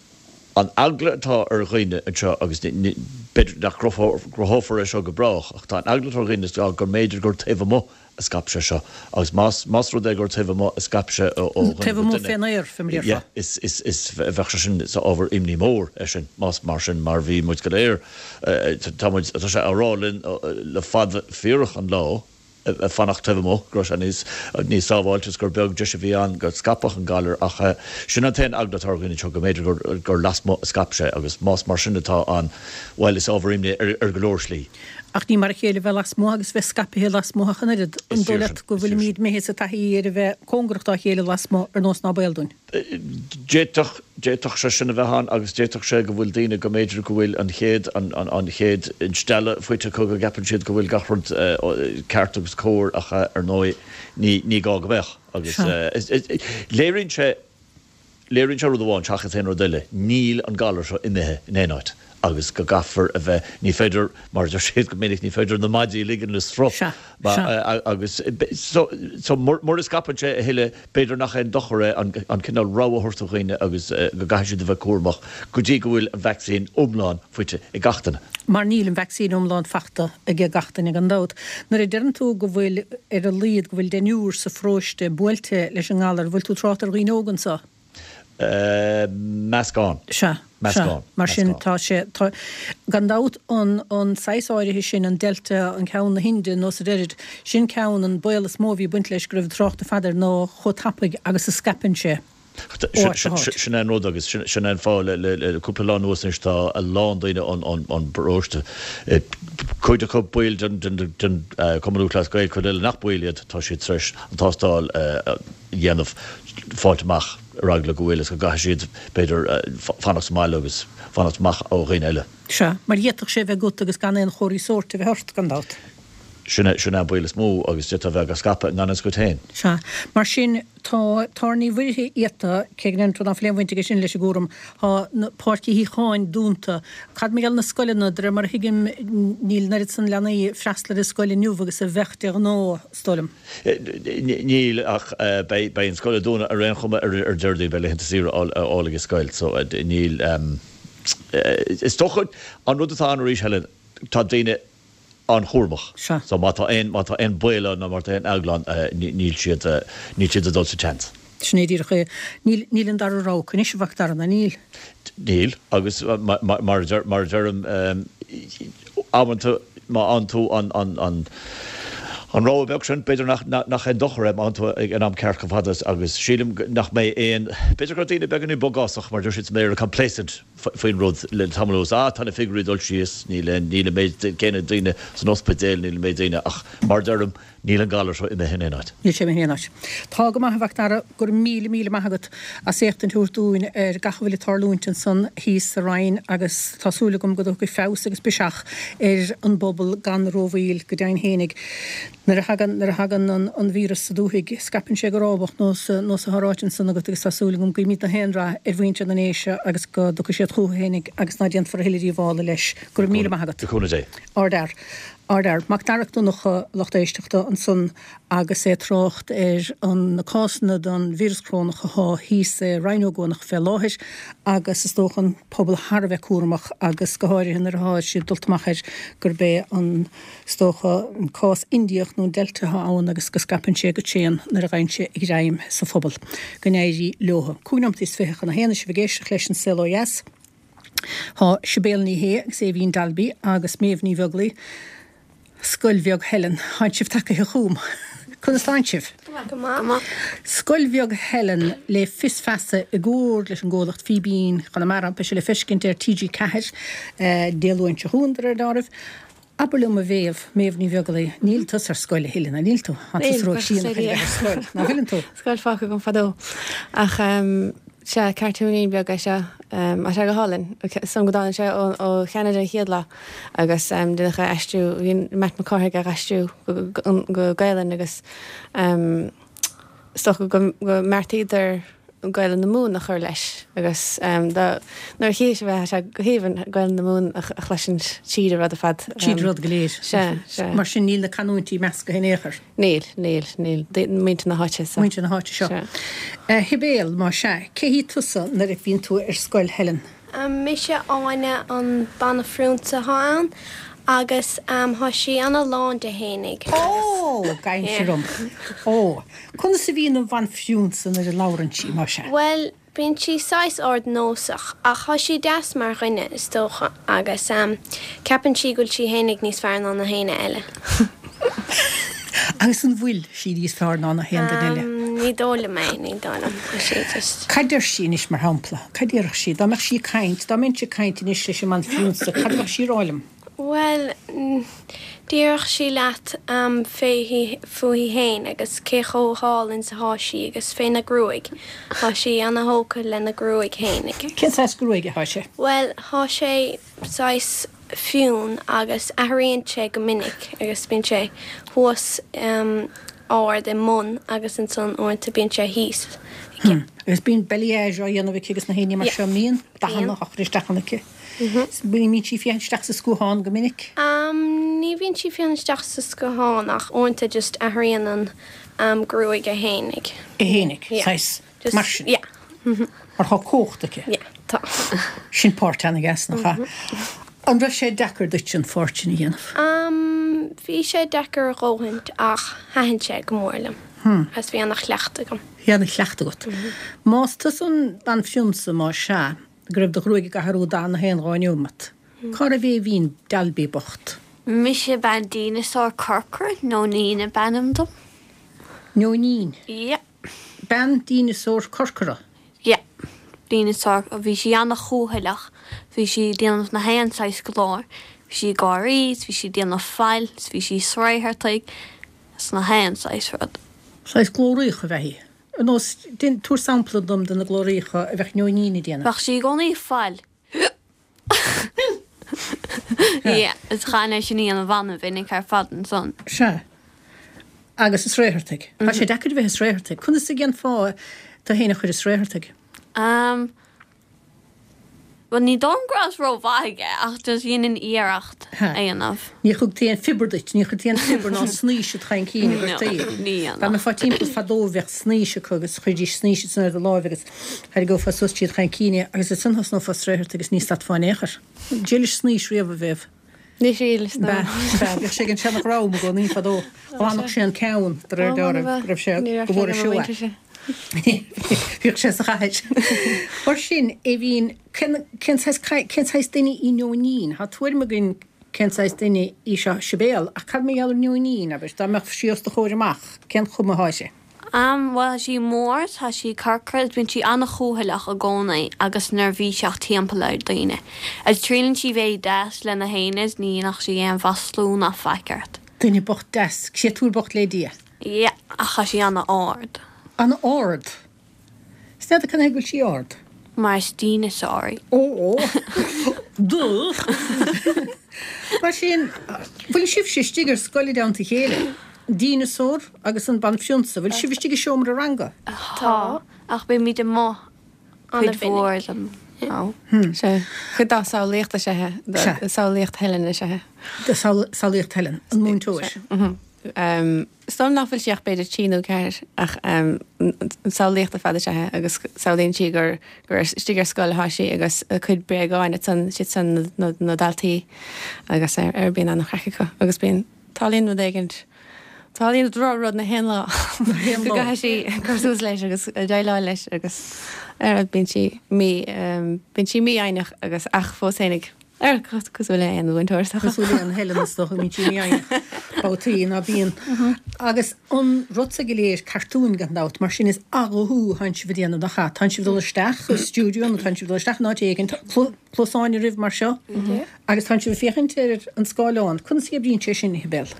an eagla atá ar dhaoine anseo agus b'fhéidir nach gcruthófar é seo go brách ach tá an eagla atá ar dhaoine ná go mb'fhéidir gur taobh amuigh a scaip sé seo agus más más rud é gur taobh amuigh a scaip sé ó dhuine Taobh go amuigh duine, fén aer, fé mar a déarfá. yeah, is is is bheadh sé sin is ábhar imní mór é sin más mar sin mar bhí muid go léir tá muid tá sé á rá linn le fada fíorach an lá fanacht taobh amuigh go raibh sé níos níos sábháilte is gur beag deis a bhí ann go scaipfeadh an galar ach sin an t-aon eagla atá ar dhaoine anseo go mb'fhéidir gur gur lasmuigh a scaip sé agus más mar sin atá ann bhuel is ábhar imní ar ar go leor slí. Ach ní mar a chéile bheith lasmuigh agus bheith scaipthe lasmuigh ach an oiread. An dóigh leat go bhfuilimíd imithe sa taithí ar a bheith cóngarach dá chéile lasmuigh ar nós ná baol dúinn? D'fhéadfadh, d'fhéadfadh sé sin a bheith ann agus d'fhéadfadh sé go bhfuil daoine go mb'fhéidir go bhfuil an chéad, an chéad instealladh faighte acu go gceapann siad go bhfuil gach rud ceart agus cóir ach ar ndóigh ní, ní gá go mbeadh agus léiríonn sé, Léiríonn sé rud amháin seachas aon rud eile, níl an galar seo imithe in aon áit agus go gcaithfear a bheith, ní féidir, mar a deir siad go minic, ní féidir na maidí a ligean le sruth. Sea, sea. Agus so, so mura scaipeann sé a thuilleadh, b'fhéidir nach aon dochar é an cineál rabhadh a thabhairt do dhaoine agus go gcaithfidh siad a bheith cúramach go dtí go bhfuil an vacsaín iomlán faighte ag gach duine. Mar níl an vacsaín iomlán fachta ag gach duine gan dabht. Nuair a deireann tú go bhfuil, ar a laghad, go bhfuil deichniúr sa pharóiste buailte leis an ngalar, bhfuil tú ag trácht ar dhaoine óga anso? Meascán. Sea, sea. Mar sin, tá sé, tá, gan dabht, an, an saghas áirithe sin, an Delta, an ceann na hInde, nós a deirid, sin ceann, an baol is mó a bhí ag baint leis go raibh trácht fada air ná chomh tapaidh agus a scaipeann sé. Sin é an rud agus sin é an fáth le cúpla lá anuas anois tá a lán daoine ón bparóiste, cuid acu baill den Chumann Lúthchleas Gael, cuid eile nach baill iad, tá siad tar éis an tástáil a dhéanamh, fáilt amach ar eagla go bhfuil agus go gcaithfidh siad b'fhéidir fanacht sa mbaile agus fanacht amach ó dhaoine eile. Sea, mar d'fhéadfadh sé a bheith agat agus gan aon chomharthaí sóirt a bheith ort, gan dabht. Sin é, sin é an baol is mó agus d'fhéadfá a bheith á scaipeadh i ngan fhios duit féin. Sea. Mar sin, tá Tábhairne Uí Mhuirthile iata, cé go ndeireann tú ná fuil aon bhaint aige sin leis an gcúram, tá na Páirc Uí Shíocháin dúnta. Cad mar gheall ar na scoileanna? De réir mar a thuigim, níl an oiread san leanaí ag freastal ar an scoil inniu agus a bheadh de ghnáth, is dóigh liom. Níl, ach beidh, beidh an scoil ag dúnadh ar aon chuma ar, ar Déardaoin, beidh laethanta saoire á fháil ag an scoil so níl, is dócha, an rud atá ann arís, Helen, tá daoine, an-chúramach. Sea. So má tá aon, má tá aon baol ann nó má tá aon eagla ann, níl siad, níl siad ag dul sa tseans. Sin é díreach é. Níl, níl an dara rogha acu anois, a Mhac Dara, ná níl? Níl, agus mar a deir, mar a deirim, amanta má fhaigheann tú an, an, an, an rogha beag sin, b'fhéidir nach, nach aon dochar é má fhaigheann tú ag an am ceart chomh fada is, agus sílim nach mbeidh aon, b'fhéidir go raibh daoine beagáinín bogásach, mar a deir siad sa mBéarla, complacent, faoin rud le tamall anuas. Ah, tá na figiúirí ag dul síos, níl aon, níl an méid céanna daoine san ospidéal, níl an méid daoine, ach mar a deirim, níl an galar seo imithe in aon áit. Níl sé imithe in aon áit. Tá go maith, a Mhac Dara, go raibh míle, míle maith agat as éachtaint a thabhairt dúinn ar gach a bhfuil ag tarlúint ansan thíos sa Rinn agus tá súil agam go dtiocfaidh feabhas agus biseach ar an bpobal gan rómhoill, go deimhin fhéinig. Nuair a thagann, nuair a thagann an, an víreas sa dúthaigh, scaipeann sé go rábach nós, nós atá ráite ansan agat agus tá súil agam go guímid gach aon rath ar mhuintir na nDéise agus go dtiocfaidh siad chucu fhéinig agus ná déanfar a thuilleadh díobhála leis. Go raibh míle maith agat. Le cúnamh Dé. Ardfhear. Ardfhear. Mac Dara Mac Donncha, lucht éisteachta, ansan agus é ag trácht ar an, na cásanna den víreas corónach athá thíos i Rinn Ó gCuanach fé láthair agus is dócha an pobal thar a bheith cúramach agus go háirithe nuair athá siad dulta amach air gurb é an Is dócha an cás Indiach nó an Delta atá ann agus go scaipeann sé go tréan nuair a gheibheann sé a ghreim sa phobal. Go n-éirí leothu. 25 nóimeataí chun a haon is sibh ag éisteacht leis an Saol Ó Dheas. Tá Sibéal Ní Shé agus Aoibhín Dalby agus Méabh Ní Bheaglaoi, Scoil Bheag Helen. Tánn sibh tagaithe chugam. Conas tánn sibh? Go maith. Scoil Bheag Helen le Fios Feasa i gcomhar leis an gcomhlacht Fíbín Chonamara. Beidh sé le feiscint ar TG4 Dé Luain seo chugainn de réir dealraimh. Abair liom a Mhéabh, Méabh Ní Bheaglaoich, níl tusa ar scoil a thuilleadh, ná níl tú? Tá tusa ró-shean chun a bheith ar scoil, ná fuileann tú? Scoil fágtha agam fadó. Ach sea, cartúinín beag é seo. Tá sé go hálainn. Is dóigh liom go dtáinig sé ó Cheanada an chéad lá agus déanadh é a aistriú, bhí Matt Mac Cárthaigh á aistriú go Gaelainn agus is dócha go mbeartaíodar Gaelainn na Mumhan a chur leis agus nuair a chífidh sibh é tá sé go haoibhinn Gaelainn na Mumhan a chloisint tríd an rud ar fad. Tríd an rud go léir. Sea, sea. Mar sin níl na canúintí measctha in aon chor? Níl, níl, níl. Muintir na háite seo. Muintir na háite seo. Sea. Sibéal, más ea, cé hí tusa nuair a bhíonn tú ar scoil Helen? Mise Áine an banphrionsa atá ann agus thá sí ana lán de fhéinig agus. Ó! Gabhaimse orm. Ó! Conas a bhíonn an bhanphrionsa nuair a labhrann sí, más ea? Bhuel, bíonn sí saghas ardnósach ach thá sí deas mar dhuine, is dócha, agus ceapann sí go bhfuil sí fhéinig níos fearr ná na héinne eile. Agus an bhfuil sí níos fearr ná na haon duine eile? Ní dóigh liom é, ní dóigh liom. Tá sí just. Cad deir sí anois, mar shampla? Cad déarfadh sí? Dá mbeadh sí ag caint, dá mbeinnse ag caint anois leis an mbanphrionsa, cad a bheadh sí a rá liom? Bhuel, déarfadh sí leat fúithi fhéin agus cé chomh hálainn is athá sí agus féna gruaig. Thá sí ana-thógtha lena gruaig fhéinig. Cén saghas gruaige athá sé? Bhuel, thá sé saghas fionn agus athraíonn sé go minic agus bíonn sé thuas ard i mbun agus ansan uaireanta bíonn sé thíos aici. Agus bíonn balayage á dhéanamh aici agus na haon ní mar seo, an mbíonn? Dathanna á chur isteach ann aici. Bíonn sí ag féachaint isteach sa scuathán go minic? Ní bhíonn sí ag féachaint isteach sa scuathán ach uaireanta just athraíonn an gruaig é fhéinig. É fhéinig, saghas. Mar sin. Yeah. Mar tá cumhacht aici. Yeah, tá. Sin páirt ana-dheas, nach ea? An raibh sé deacair duit an pháirt sin a dhéanamh? Umm, bhí sé deacair a dhóthaint ach thaitin sé go mór liom. Agus bhí ana-chleachtadh agam. Bhí ana-chleachtadh agat. Más tusa an banphrionsa, más ea, go raibh do ghruaig ag athrú dath na haon dhá neomat, cá raibh Éimhín Dalby bocht? Mise bean dineasár corcra, Nóinín ab ainm dom. Nóinín? Yeah. Bean díneasór corcra. Yeah. Díneasár. Bhí sí ana-chúthaileach. Bhí sí ag déanamh na haon saghas glóir. Bhí sí ag gáirí, 's bhí sí ag déanamh faill, 's bhí sí ag sraothartaigh, 's na haon saghas rud. Saghas glóraíocha ab ea í. Ar nós, tabhair sampla dom de na glóraíocha a bheadh Nóinín ag déanamh. Bheadh sí i gcónaí ag faill. Yeah, is chaithfinn é sin a dhéanamh ana-mhinic ar fad ansan. Sea. Agus ag sraothartaigh. Tá sé deacair a bheith ag sraothartaigh. Conas a dhéanfá tú féin a chur ag sraothartaigh? Um, bhuel ní dóigh liom go rabhas rómhaith aige ach just dhéanainn iarracht a dhéanamh. Ní thugtaí aon phiobar duit, ní chuirtí aon phiobar ná snaois id chaincín a gcuirtí. No, ní dhéanadh. Dá mbeifeá timpeall fadó bheadh snaois acu agus chuiridís snaois ansan ar do láimh agus Tharraingeofá suas tríd chaincín é agus ansan thosnófá ag sraothartaigh agus ní stadfá in aon chor. D'éilis snaois riamh a Mhéabh? Níor thriaileas, no. B'ea, b'ea. Bhíodh sé ag an seana-dhream i gcónaí fadó. Ghlanfadh sé an ceann de réir dealraimh go raibh sé, go bhfuair sé uaidh. Bhíodh sé sa chathair. Mar sin, Éimhín, cén, cén saghas, cén saghas duine í Nóinín? Tá tuairim againn cén saghas duine í seo Sibéal, ach cad mar gheall ar Nóinín, abair, dá mbeadh sí os do chomhair amach, cén chuma atá uirthi? Am, bhuel, tá sí mór, tá sí corcra, bíonn sí an-chúthaileach i gcónaí agus neirbhíseach timpeall ar daoine. Agus triaileann sí bheith deas le na héinne is ní dhéanfadh sí aon mhaslú ná faic ort. Duine bocht deas, créatúr bocht le Dia. Yeah, ach tá sí an-ard. An-ard? Is n'fheadar cad chuige go bhfuil sí ard. Mar is dineasár í. Ó! Duh! Mar sin, bhfuil sibhse istigh ar scoil i dteannta a chéile? An dineasár agus an banphrionsa, bhfuil sibh istigh i seomra ranga? Tá, ach bímid amuigh cuid mhór den am. Sea. Cuid dá samhlaíocht is ea é. Samhlaíocht Helen is ea é. Samhlaíocht Helen, an múinteoir. Is dóigh liom nach bhfuil sí ach b'fhéidir 3 nó 4 ach samhlaíocht ar fad is ea é agus samhlaíonn sí gur gur istigh ar scoil atá sí agus a cuid bréagáin ansan siad san na na daltaí agus ar ar bíonn an-chraic acu agus bíonn tarlaíonn rud éigint tarlaíonn drochrud na haon lá go gcaithfidh sí cur suas leis agus déileáil leis agus ar bíonn sí mí bíonn sí mífhoighneach agus ach fós fhéinig. Ar cosúil le aon mhúinteoir is dócha. Cosúil le aon Helen is dócha, bíonn sí mífhoighneach babhtaí ná bíonn. Agus an rud seo go léir, cartúin gan dabht, mar sin is athghuthú atánn sibh a déanamh nach ea? Tánn sibh ag dul isteach i stiúideo nó tánn sibh ag dul isteach in áit éigin, cluasáin oraibh mar seo agus tánn sibh ag féachaint ar an scáileán. Conas a oibríonn sé sin, a Shibéal?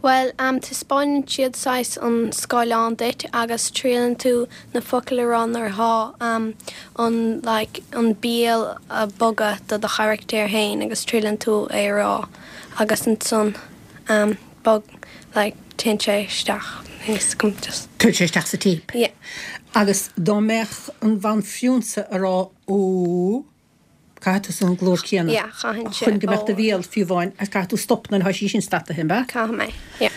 Bhuel, taispeáineann siad saghas an scáileán duit agus triaileann tú na focail a rá nuair atá an like an béal ag bogadh do do charachtar féin agus triaileann tú é a rá agus ansan bog like téann sé isteach níl 's agam just. Téann sé isteach sa téip. Yeah. Agus dá mbeadh an bhanphrionsa a rá Ó. Caithfidh tusa an glór céanna Yeah, chaithfinnse. chun go mbeadh do bhéal fiú amháin agus caithfidh tú stop nuair atá sí sin stataithe, an ea? Caithfidh mé, yeah.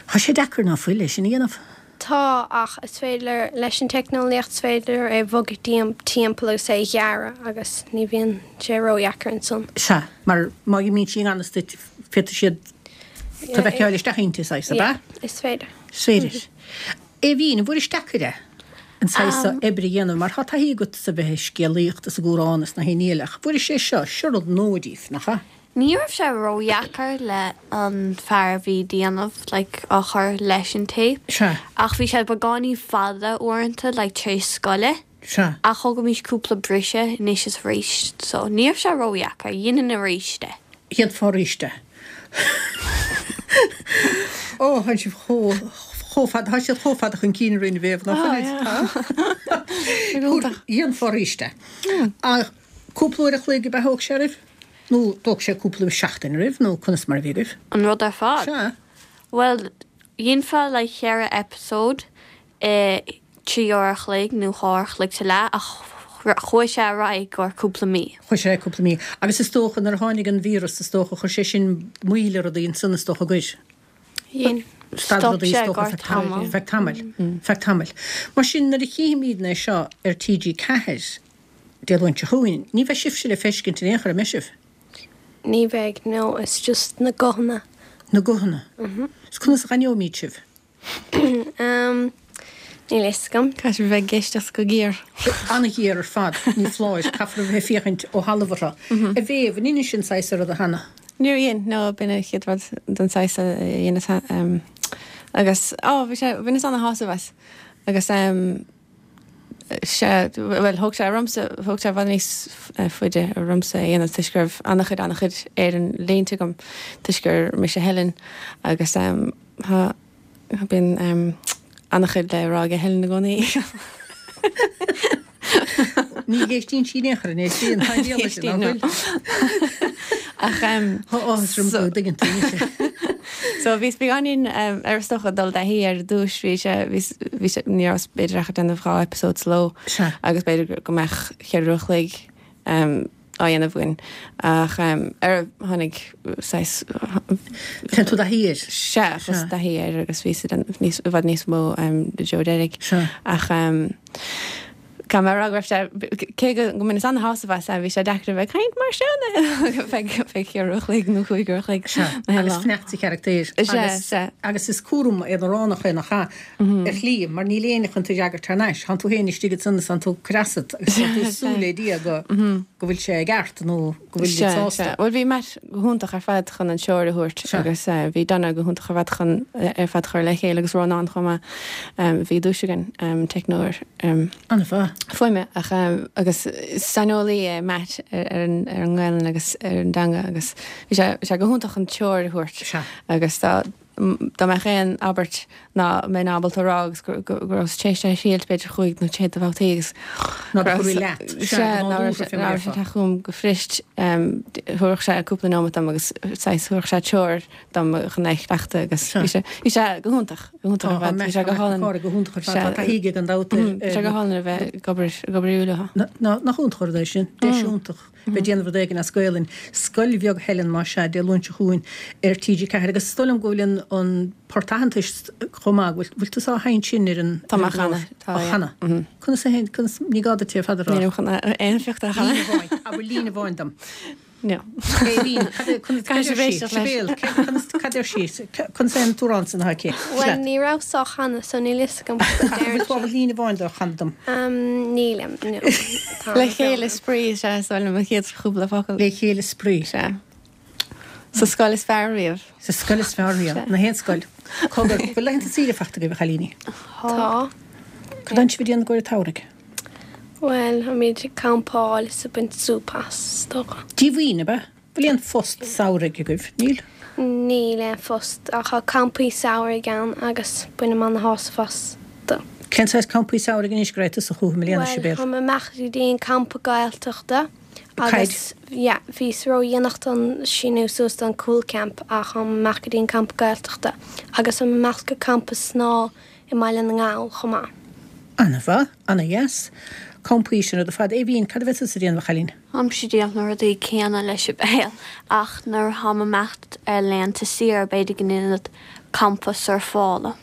Tá sé deacair ná fuil é sin a dhéanamh? Tá, ach is féidir, leis an teicneolaíocht is féidir é a bhogadh timpeall agus é a ghearradh agus ní bhíonn sé ródheacair ansan. Sea, mar má imíonn sí i ngan fhios duit féadfaidh siad tú a phacáil isteach inti, saghas, ab ea? Yeah, is féidir. Is féidir. Aoibhín, an bhfuairis deacair é an saghas seo oibre a dhéanamh mar tá taithí agat sa bheith ag scéalaíocht is ag amhrán is na haon ní eile ach bhfuairis é seo, seo rud nua díbh, nach ea? Ní raibh sé ródheacair le an fear a bhí déanamh like á chur leis an téip. Sea. Ach bhí sé beagáinín fada uaireanta like tar éis scoile. Sea. Ach thógaimis cúpla briseadh anois is arís so ní raibh sé ródheacair, dhéanfainn arís é. Dhéanfá arís é. Ó, tá sibh chomh, chomh fada, tá siad chomh fada chun cinn orainn a Mhéabh, nach bhfuilid? Dhéanfá arís é. Ach cúpla uair a chloig ab ea a thóg sé oraibh? Nó thóg sé cúpla seachtain oraibh, nó conas mar a bhí agaibh? An rud ar fad? Sea. Bhuel, dhéanfá like cheithre episode i 3 uair a chloig nó 2 uair a chloig sa leath ach chuaigh sé ar aghaidh go cúpla mí. Chuaigh sé cúpla mí. Agus is dócha nuair a tháinig an víreas is dócha chuir sé sin moill ar rudaí ansan is dócha gur. Dhein. Stad Stop rudaí sé is dócha gar feadh tamaill. feadh tamaill. Feadh tamaill. Mar sin nuair a chífimídne é seo ar TG4 Dé Luain seo chugainn ní bheidh sibhse le feiscint in aon chor, an mbeidh sibh? Ní bheidh, no, it's just na guthanna. Na guthanna. Is conas a dh'aithneoimíd sibh? Níl a fhios agam. Caithfidh bheith ag éisteacht go géar. An-ghéar ar fad, ní foláir. Caithfear a bheith ag féachaint ó thalamh orthu. A Mhéabh, an ndeinis an saghas seo ruda cheana? Níor dhein, no, b'in an chéad rud den saghas a dheineas agus, á, bhí sé, bhaineas ana-shásamh as agus sea, bhuel, thóg sé ormsa, thóg sé i bhfad níos faide ormsa é a dhéanamh toisc go raibh an-chuid, an-chuid Éireann léite agam toisc gur mise Helen agus tá, bíonn an-chuid le rá ag Helen i gcónaí. Ní éistíonn sí in aon chor, an éistíonn? Tá an diabhal sin, nach bhfuil? Ach Tá áthas orm go dtuigeann tú mise. So bhíos beagáinín ar is dócha dul i dtaithí ar dtús, bhí sé, bhí, bhí sé, ní rabhas b'fhéidir ach ag déanamh 2 eipeasóid sa ló Sea. agus b'fhéidir go mbeadh cheithre uair a chloig á dhéanamh againn ach ar tháinig saghas. Téann tú i dtaithí air. Sea, chuas i dtaithí air agus bhíos ag déanamh níos, i bhfad níos mó i dtreo deiridh. Sea. Ach caithfidh mé a rá go raibh sé, cé go mbaineas ana-shásamh as, bhí sé deacair a bheith ag caint mar seo feadh cheithre uair a chloig nó chúig uair a chloig. Sea, agus fanacht sa charachtar. Sea, sea. Agus is cúram aonaránach é nach ea? ar shlí, mar níl éinne chun tú a fhreagairt thar n-ais. Tánn tú féin istigh ansan is tánn tú ag cur asat agus tánn tú ag súil le Dia go go bhfuil sé i gceart nó go bhfuil siad sásta. Sea, sea. Bhuel, bhí Matt go hiontach ar fad chun an treoir a thabhairt agus bhí Donna go hiontach ar fad chun ar fad chur le chéile agus Rónán chomh maith. Bhí duais againn, teicneoir An-mhaith. fuaime ach agus saineolaí é Matt ar an ar an nGaelainn agus ar an dteanga agus bhí sé bhí sé go hiontach chun treoir a thabhairt agus dá Dá mbeadh aon abairt ná mbeinn ábalta a rá agus go rabhas tar éis é a thriailt b'fhéidir chúig nó sé de bhabhtaí agus Ná go raibh leat. Sea, ná raibh sé ag teacht chugam go fuirist, thabharfadh sé cúpla nóiméad dom agus saghas thabharfadh sé treoir dom chun é a chleachtadh agus bhí sé, bhí sé go hiontach, go hiontach ar fad, bhí sé go hálainn. Tá go hiontach ar fad, tá taithí aige gan dabht ar. Bhí sé go hálainn a bheith ag obair, ag obair leo. Nach iontach an rud é sin, deis iontach. Bheith ag déanamh rud éigin as Gaelainn. Scoil Bheag Helen, más ea, Dé Luain seo chugainn ar TG4 agus is dóigh liom go bhfuil an an port aitheantais chomh maith, bhfuil bhfuil tusa á sheinnt sin ar an Tá mé á chanadh, tá, yeah. Á chanadh. Conas a sheinn, conas, ní gá duit é ar fad a rá. Nílim chun aon phioc de a chanadh. Líne amháin, abair líne amháin dom. No. Aoibhinn, cad é, conas, cad Caithfidh deir sibh sí? éisteacht leis. Sibéal, cé, conas, cad deir sí? Conas é an t-amhrán san atá aici? Bhuel, Leat. ní rabhas á chanadh, so níl fhios agam cad a Ach deireann bhfuil tú sí. ábalta líne amháin de a chanadh dom? Um, nílim, no. Tá Le an chéile brón. spraoi is ea is dóigh liom an chéad chúpla focal. Le chéile spraoi. Sea. Sa scoil is fearr riamh. Sa scoil is fearr riamh. Sea. Na haon scoil. Cogar, bhfuil laethanta saoire fachta agaibh, a chailíní? Tá. Cad tánn sibh ag déanamh i gcomhair an tsamhraidh? Bhuel, táimid ag campáil is ag baint súp as, is dócha. Díomhaoin, ab ea? Bhfuil aon phost samhraidh agaibh? Níl? Níl aon phost, ach tá campaí samhraidh ann agus bainim ana-shásamh astu. Cén saghas campaí samhraidh anois go raibh tusa chucu i mbliana, Bhuel, Sibéal? táim ag imeacht go dtí an campa Gaeltachta Caid? agus, yeah, bhíos ródhéanach don síniú suas don Cúl Camp ach táim ag imeacht go dtí an campa Gaeltachta agus táim ag imeacht go campa snámha i mBaile na nGall chomh maith. Ana-mhaith, ana-dheas. Campaí sin rud ar fad. Aoibhinn, cad a bheidh tusa ag déanamh, a chailín? Táimse ag déanamh na rudaí céanna le Sibéal ach nuair atáim ag imeacht ar laethanta saoire b'fhéidir go ndéanfad campa surfála.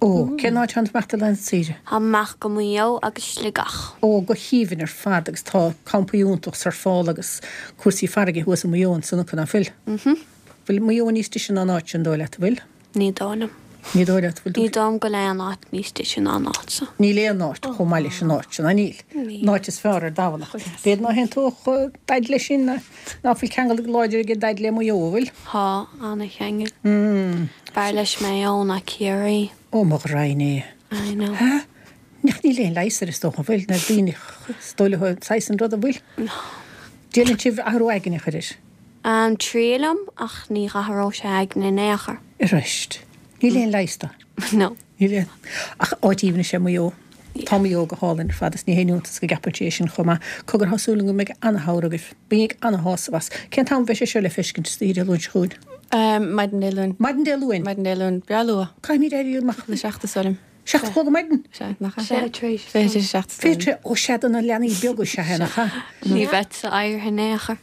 Ó, cén áit atánn tú ag imeacht ar laethanta saoire? Táim ag imeacht go Maigh Eo agus Sligeach. Ó, go haoibhinn ar fad agus tá campaí iontach surfála agus cúrsaí farraige thuas i Maigh Eo ansan acu, ná fuil? Mhm. Bhfuil Maigh Eo níos deise ná an áit sin, dóigh leat, an bhfuil? Ní dóigh liom. Ní dóigh leat, bhfuil tú. Ní dóigh liom go bhfuil aon áit níos deise ná an áit seo. Níl aon áit chomh maith leis an áit sin, ná níl? Níl. An áit is fearr ar domhan ach b'fhéidir ná haontódh Daid leis sin, ná fuil ceangal láidir ag Daid le Maigh Eo, an bhfuil? Tá, ana-cheangal. B'fhearr leis Maigh Eo ná Ciarraí. Ó mo ghraidhin é. I know. Há? Ach níl aon leigheas air is dócha, an bhfuil? Na daoine is dóigh leo saghas an rud, an bhfuil? No. Déanann sibh athrú aigne a chur air? Triailim, ach ní dh'athródh sé aigne in aon chor. Arís. Níl aon leigheas dó. No. Níl aon. Ach áit aoibhinn is ea Maigh Eo. Tá Maigh Eo go hálainn ar fad is ní haon iontas go gceapann sé é sin chomh maith. Cogar, tá súil agam go mbeidh ana-shamhradh agaibh. Bainigí ana-shásamh as. Cén t-am a bheidh sé seo le feiscint istoíche Dé Luain seo chugainn? Maidin Dé Luain. Maidin Dé Luain? Maidin Dé Luain. Breá luath. Caithfimid éirí amach. Le 7 is dóigh liom. 7 a chlog ar maidin? Sea, nach ea? 7:40. 6:40. 6:40, ó sea do na leanaí beaga is ea é, nach ea? Ní bheadsa éirithe in aon chor.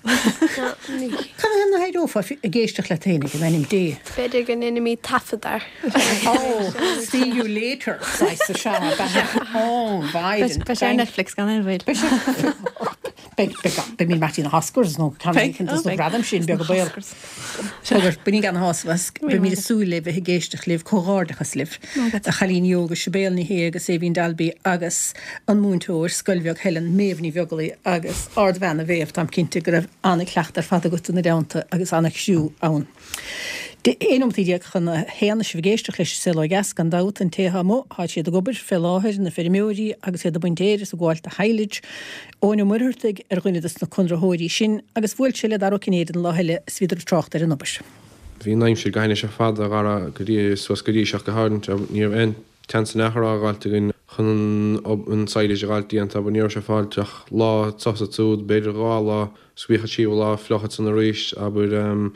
Cad é nach éireofá ag éisteacht leat féinig, in ainm Dé? B'fhéidir go ndéanfaimid taifead air. Oh, see you later, saghas is ea, ab ea? Oh, Biden. Beidh sé ar Netflix gan aon bhaol. Beidh sé. Beidh, beidh, beidh mín Martin na hOscars nó ceann éicint dos na gradaim sin, beag an baol. Cogar, bainigí ana-shásamh as, beimid ag súil le bheith ag éisteacht libh, comhghairdeachas libh, a chailíní óga, Sibéal Ní Shé agus Aoibhín Dalby agus an múinteoir, Scoil Bheag Helen, Méabh Ní Bheaglaoi agus ardbhean a Mhéabh, táim cinnte go raibh an-chleachtadh ar fad agat ina dteannta agus an-chriú ann. 11 nóimeataí chun a haon is sibh ag éisteacht leis An Saol Ó Dheas, gan dabht, an té atá amuigh, tá siad ag obair fé láthair, na feirmeoirí agus iad ag baint fhéir is ag gabháil do shilage. Eoin Ó Muircheartaigh ar dhuine dos na conraitheoirí sin agus bhuail sé le Dara Ó Cinnéide an lá eile is bhíodar ag trácht ar an obair. Bhí an aimsir go hainnis ar fad a Dhara go dtí suas go dtí seo go háirithe. Ní raibh aon tseans in aon chor á dh'fháilt againn chun an silage a dh'fháilt déanta, but ní raibh sé fáilt ach lá sosa ansiúd, b'fhéidir 2 lá. 's bhíodh an tríú lá fliuch ansan arís, abair.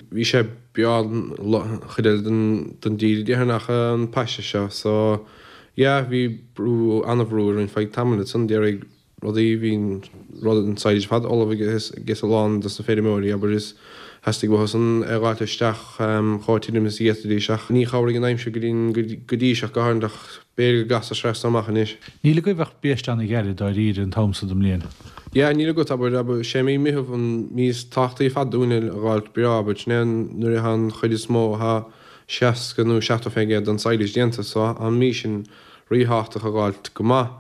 Bhí sé breá an chuid eile den dtír, déarfainn, ach an paiste seo. So, yeah, bhí brú, an-bhrú orainn feadh tamaill ansan, d'éirigh rudaí, bhí an rud, an silage ar fad ullamh ages a lán dos na feirmeoirí, abair, is theastaigh uathusan é a dh'fháilt isteach chomh tirim is a d'fhéadfaidís ach ní chabhraigh an aimsir go dtí seo go háirithe ach B'fhéidir go gcasfaidh sé so amach anois. Níl agaibh ach biaiste an-ghairid dáiríre an t-am so den mbliain. Yeah, níl agat, abair, abair, sé mí Meitheamh an mí is tábhachtaí ar fad dúinne a dh'fháilt breá, abair, sin é an, nuair atá an chuid is mó, atá 60 nó 70% den silage déanta, so an mí sin ríthábhachtach a dh'fháilt go maith.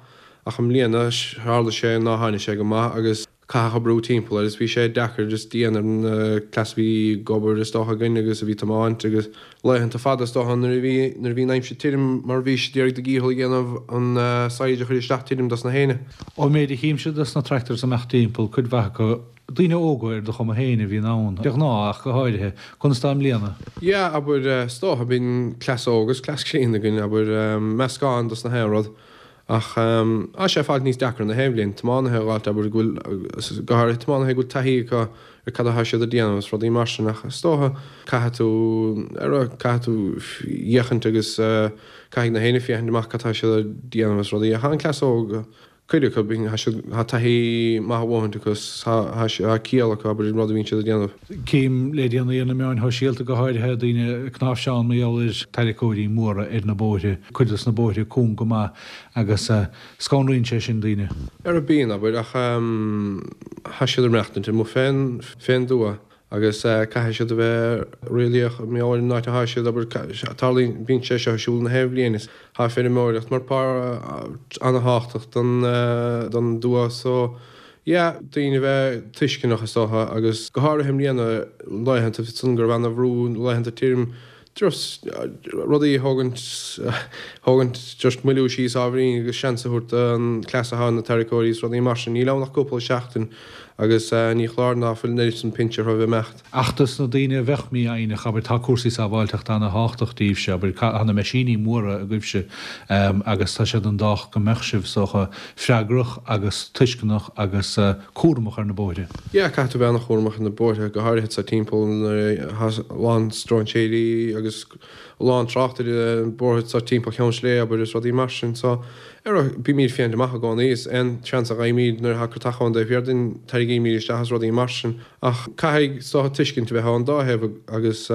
Ach i mbliana, tharla sé ná tháinig sé go maith agus. caitheadh brú timpeall air is bhí sé deacair is dian ar an cleas a bhí ag obair is dócha againn agus a bhí tiomáint agus laethanta fada is dócha nuair a bhí nuair a bhí an aimsir tirim mar bhí sé d'iarraidh do dhícheall a dhéanamh an silage a chur isteach tirim dos na héinne. Ón méid a chímse dos na tractors ag imeacht timpeall, cuid mhaith acu, daoine óga ar do chuma féin a bhíonn ann, de ghnáth ach go háirithe. Conas tá i mbliana? Yeah, abair, is dócha, bíonn cleas óg is cleas críonna againn, abair, meascán dos na haon rud. Ach tá sé ag fáilt níos deacra na haon bhliain, tiománaithe a dh'fháilt, abair, go bhfuil, go háirithe tiománaithe go bhfuil taithí acu ar cad atá siad a déanamh agus rudaí mar sin ach is dócha caithfidh tú, ar, caithfidh tú fhéachaint agus caithfidh na héinne féachaint amach cad tá siad a déanamh agus rudaí ach an cleas óg, cuid acu, tá siad, tá taithí maith a dhóthaint acu is tá, tá ciall acu, abair, an rud a bhíonn siad a déanamh. Cím le déanaí ar na meáin shóisialta go háirithe, daoine ag cnáimhseán mar gheall ar tarracóirí móra ar na bóithre, cuid dos na bóithre cúng go maith agus scanraíonn sé sin daoine. Ar a bíonn, abair, ach tá siad ag maireachtaint amuigh fén, fén dtuath. Agus caithfidh siad a bheith réalaíoch mar gheall ar an áit atá siad, abair, tarlaíonn, bíonn sé seo ar siúl na haon bhliain is tá feirmeoireacht mar páirt an-thábhachtach don, don dtuath so yeah, daoine a bheith tuisceanach is dócha agus go háirithe i mbliana laethanta san go raibh ana-bhrú, laethanta tirim, just rudaí a thógaint, thógaint just moilliú síos ábhairín agus seans a thabhairt don cleas atá ag na tarraiceoirí is rudaí mar sin. Níl ann ach cúpla seachtain agus ní chláir ná fuil an oiread san pinse orthu a bheith imeacht. Ach dos na daoine a bheadh mífhoighneach, abair, tá cúrsaí sábháilteachta ana-thábhachtach daoibhse, abair, tá na meaisíní móra agaibhse agus tá sé den dócha go mbeadh sibh, is dócha, freagrach agus tuisceanach agus cúramach ar na bóithre. Yeah, caithfidh tú bheith an-chúramach ar na bóithre, go háirithe sa timpeall nuair atá a lán stróinséirí agus a lán trácht ar na bóithre sa timpeall Cheann Sléibhe, abair, is rudaí mar sin. So, ar, bímid ag féachaint amach i gcónaí, is aon seans a fhaighimid nuair atá crotach ón dtaobh thiar dínn, tarraingímid isteach is rudaí mar sin. Ach caithfidh, is dócha, tuiscint a bheith ón dá thaobh agus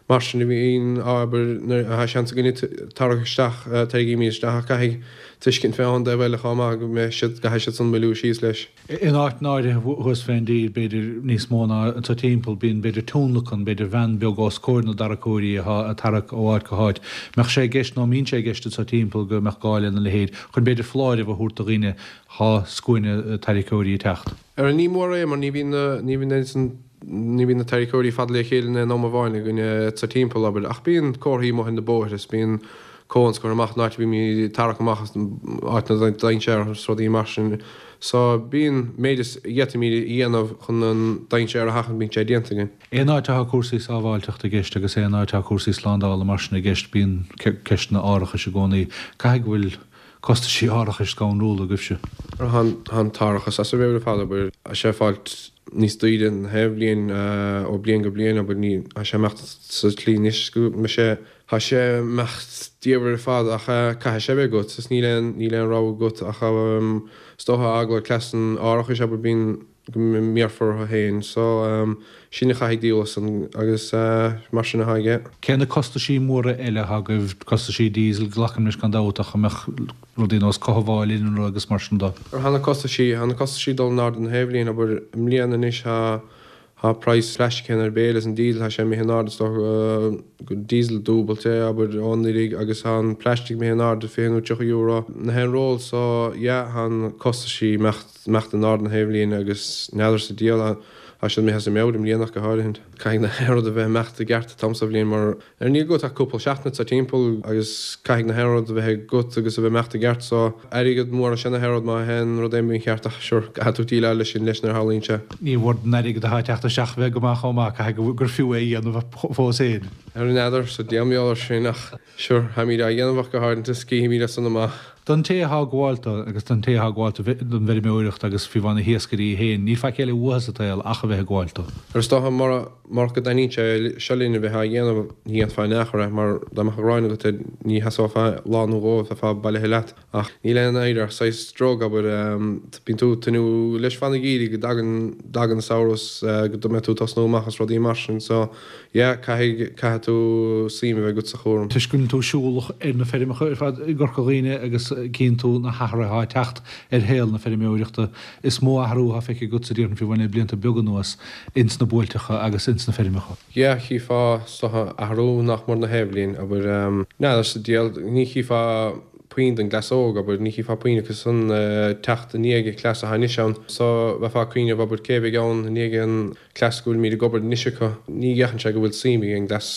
mar sin a bhíonn, abair, nuair atá seans againne tarrac isteach, tarraingímid isteach ach caithfidh tuiscint bheith ón dtaobh eile chomh maith go mbeidh siad, gcaithfidh siad san moilliú síos leis. In áiteanna áirithe thuas fén dtír, b'fhéidir níos mó ná anso timpeall, bíonn b'fhéidir tionlacan, b'fhéidir veain beag os comhair na dtarraiceoirí atá ag tarrac ó áit go háit. Mbeadh sé i gceist nó mbíonn sé i gceist anso timpeall go mbeadh gá lena leithéid chun b'fhéidir foláireamh a thabhairt do dhaoine thá scuaine tarraiceoirí ag teacht. Ara ní mór é mar ní bhíonn na, ní bhíonn oiread san, ní bhíonn na tarraiceoirí fada le chéile in aon am amháin againne sa timpeall, abair, ach bíonn comharthaí amuigh ar na bóithre is bíonn cones curtha amach an áit a bhímid ag tarrac amach as áit na dainséar is rudaí mar sin. So bíonn méid is a d'fhéadfaimid a dhéanamh chun an dainséar a sheachaint bíonn sé déanta againn. Aon áit atá cúrsaí sábháilteachta i gceist agus aon áit atá cúrsaí slándála mar sin i gceist bíonn ceisteanna árachais i gcónaí. Caithfidh go bhfuil costaisí árachais scanrúla agaibhse. Tá an t-árachas as a mheabhair ar fad, abair, tá sé ag fáilt níos daoire na haon bhliain ó bliain go bliain, abair, ní, tá sé imeacht sa tslí anois go mbeidh sé, tá sé imeacht diamhair ar fad ach caithfidh sé a bheith agat is níl aon, níl aon rogha agat ach is dócha eagla ar cleas an árachais, abair, bíonn, go mbéarfar orthu féin. So, sin a chaithfidh díol as san agus mar sin atá aige. Cé na costaisí móra eile atá agaibh, costaisí diesel, glacaim leis gan dabht, ach an mbeadh rudaí nós cothabháil innealra agus mar sin de? Thá na costaisí, thá na costaisí ag dul in airde na haon bhliain, abair, i mbliana anois thá, thá praghas plastic féin ar béal is an diesel thá sé imithe in airde is dócha go diesel dúbailte, abair, ó anuraidh agus thá an plastic imithe in airde €20 nó €30 na haon roll so yeah thá na costaisí imeacht. imeacht in airde na haon bhliain agus n'fheadar sa diabhal tá siad imithe as a meabhair i mbliana ach go háirithe. Caithfidh na haon rud a bheith imeacht i gceart an t-am sa bhliain mar ar níl agat ach cúpla seachtain sa timpeall agus caithfidh na haon rud a bheith agat agus a bheith imeacht i gceart so airgead mór is ea na haon rud má théann rud éigin mícheart ach sure caithfidh tú déileáil leis sin leis nuair a tharlaíonn sé. Ní mór don airgead atá ag teacht isteach a bheith go maith chomh maith, caithfidh gur fiú é a dhéanamh fós féin. Ar n'fheadar sa diabhal air sin ach Sure, táimid á dhéanamh ach go háirithe is cífimid as san amach. Don té atá ag gabháil dó agus don té atá ag gabháil don bhfeirmeoireacht agus fiú amháin na hiascairí féin, níl faic eile uathu sa tsaol ach a bheith ag gabháil dó. Ar is dócha, murach go dtaitníonn sé seo linn a bheith á dhéanamh, ní dhéanfá in aon chor é, mar dá mbeadh an ghráin agat air, ní sheasófá lá nó dhó, bheifeá bailithe leat. Ach níl aon oidhre ach saghas drug, abair. Bíonn tú ag tnúth leis fan an gheimhridh go dtagann, dtagann an samhradh is go mbeidh tú ag tosnú amach is rudaí mar sin. So, yeah, caithfidh, caithfidh tú suim a bheith agat sa chúram. Toisc go mbíonn tú siúlach ar na feirmeacha ar fad i gCorca Dhuibhne agus cíonn tú na hathruithe atá ag teacht ar shaol na feirmeoireachta, is mó athrú atá feicthe agatsa déarfainn fiú amháin le blianta beaga anuas ins na buailteacha agus ins na feirmeacha. Yeah, chífeá is dócha athrú nach mór na haon bhliain, abair, n'fheadar sa diabhal, ní chífeá puinn den gcleas óg, abair, ní chífeá puinn acu san teacht i ndiaidh an cleas atá anois ann. So, bheifeá ag cuimhneamh, abair, cé a bheidh ann i ndiaidh an cleas go bhfuilimid ag obair anois acu. Ní fhéachann sé go bhfuil suim ag an gcleas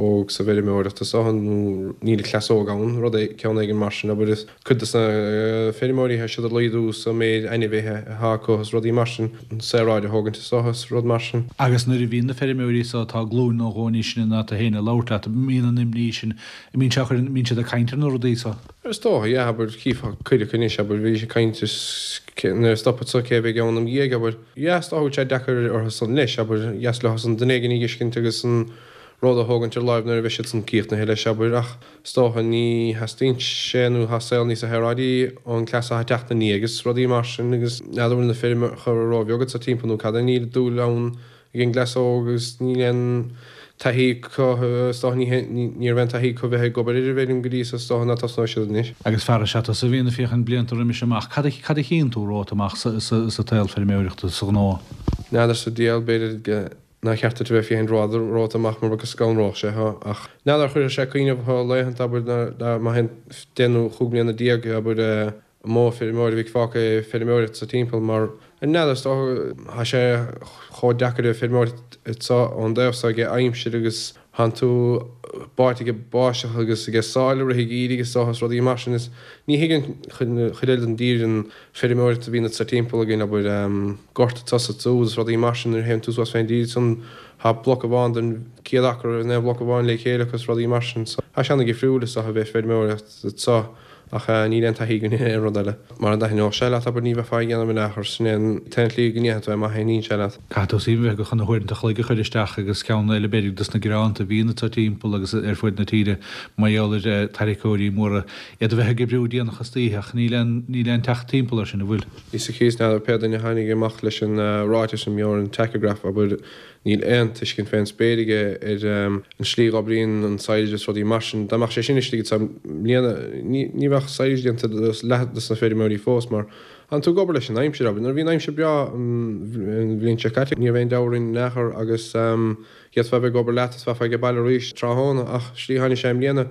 óg sa bhfeirmeoireacht is dócha, nó níl an cleas óg ann, rud é, ceann éigin mar sin, abair, is cuid de na feirmeoirí, tá siad ag laghdú sa méid ainmhithe atá acu is rudaí mar sin, an saoráid a thógaint is dócha is rud mar sin. Agus nuair a bhíonn na feirmeoirí so atá glúin nó dhó níos sine ná tú féin ag labhairt leat, mbíonn an imní sin, mbíonn sé á chur, mbíonn siad ag caint ar na rudaí so? Is dócha, yeah, abair, chífeá cuid acu anois, abair, bhídís ag caint is nuair a stopfad so cé a bheidh ann im dhiaidh, abair. Yeah, is dócha go bhfuil sé deacair orthu san leis, abair, dheas leo san duine éigin a dh'fheiscint agus an ród a thógaint ar láimh nuair a bheidh siad san críochnaithe leis, abair, ach is dócha ní theastaíonn sé nó tá saol níosa shaoráidí ón gcleas atá ag teacht ina ndiaidh agus rudaí mar sin agus n'fheadar bhfuil na feirmeacha róbheag sa timpeall nó cad é, níl dúil ann ag an gcleas óg agus níl aon taithí acu is dócha ní ní raibh aon taithí acu bheith ag obair ar an bhfeirm go dtí so is dócha ná tosnóidh siad anois. Agus fear is ea tusa a bhíonn ag féachaint blianta roimis amach, cad a cad a chíonn tú romhat amach sa sa tsaol feirmeoireachta, sa ghnó? N'fheadar sa diabhal, b'fhéidir go. Nár cheart duit a bheith féachaint romhat amach mar go scanródh sé thú. Ach n'fheadar, chuirfeadh sé cuimhneamh thú laethanta, abair, má théann deich nó chúig mbliana déag, abair, an modh feirmeoir a bheidh fágtha ag feirmeoireacht sa timpeall mar n'fheadar, is dócha, tá sé chomh deacair a feirmeoireacht anso ón dtaobh so age aimsir agus Thánn tú báite age báisteach agus age sáile i rith an gheimhridh is dócha is rudaí mar sin is ní thuigeann chuid eile den dtír an feirmeoireacht a bhíonn anso timpeall againn, abair, gort anso is ansúd is rudaí mar sin nuair a théann tú suas fén dtír ansan tá bloc amháin den 100 acra in aon bhloc amháin le chéile acu is rudaí mar sin so tá sé ana-dhifriúil is dócha a bheith ag feirmeoireacht anso. Ach níl aon taithí againn ar aon rud eile. Mara dtaitneodh sé leat, abair, ní bheifeá á dhéanamh in aon chor. Sin é an t-aon tslí go ndéanfaidh tú é má thaitníonn sé leat. Caithfidh tú suim a bheith agat chun na huaireanta an chloig a chur isteach agus ceann eile b'fhéidir dos na gearáin a bhíonn anso timpeall agus ar fuaid na tíre mar gheall ar tarraiceoirí móra, iad a bheith ag oibriú déanach istoíche ach níl aon níl aon teacht timpeall air sin, an bhfuil? Ní sa chíos n'fheadar pé duine a tháinig amach leis an ráiteas sin, mar an tachograph, abair, Níl aon tuiscint fén spéir aige ar an slí a dh'oibríonn an silage is rudaí mar sin. Dá mbeadh sé sin istigh anso i mbliana, ní bheadh silage déanta do leath dos na feirmeoirí fós mar tánn tú ag obair leis an aimsir, abair. Nuair a bhí an aimsir breá an bhliain seo caite, ní raibh aon deabhadh orainn in aon chor agus d'fhéadfá a bheith ag obair leat is bheifeá age baile arís tráthnóna ach slí a tháinig sé i mbliana,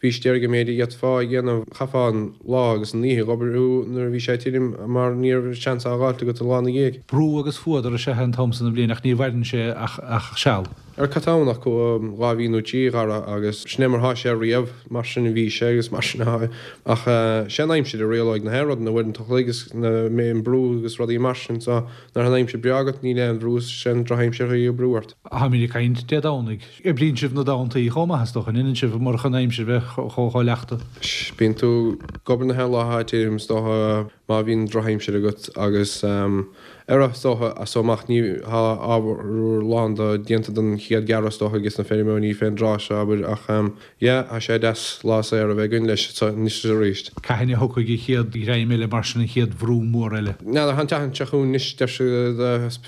Bhís d'iarraidh an méid a d'fhéadfá a dhéanamh, chaithfeá an lá agus an oíche ag obair nuair a bhí sé tirim mar ní raibh seans á dh'fháilt agat an lá 'na dhiaidh. Brú agus fuadar is ea an t-am san den bhliain ach ní mhaireann sé ach seal. Ar cad tá ann ach 2 mhí nó 3, a Dhara, agus sin é mar thá sé riamh, mar sin a bhí sé agus mar sin athá ach sé an aimsir a rialóidh na haon rud, na uaireanta an chloig agus na an brú agus rudaí mar sin so nuair thá an aimsir breá agat níl aon bhrú is sé an drochaimsir a chuirfidh brú ort. Táimid ag caint Dé Domhnaigh. Oibríonn sibh na Domhantaí chomh maith, is dócha, an ndéanann sibh, murach an aimsir bheith chomh leachta? Bíonn tú ag obair na haon lá atá tirim, is dócha, má bhíonn drochaimsir agat agus ar is dócha, as so amach ní tá ábhar lán do déanta don chéad ghearradh is dócha ages na feirmeoirí fén dtráth seo, abair, ach yeah, tá sé deas lá saor a bheith againn leis anois is arís. Cathain a thiocfaidh an chéad ghreim eile mar sin, an chéad bhrú mór eile? N'fheadar, tá an tseachtain seo chugainn anois, deir siad,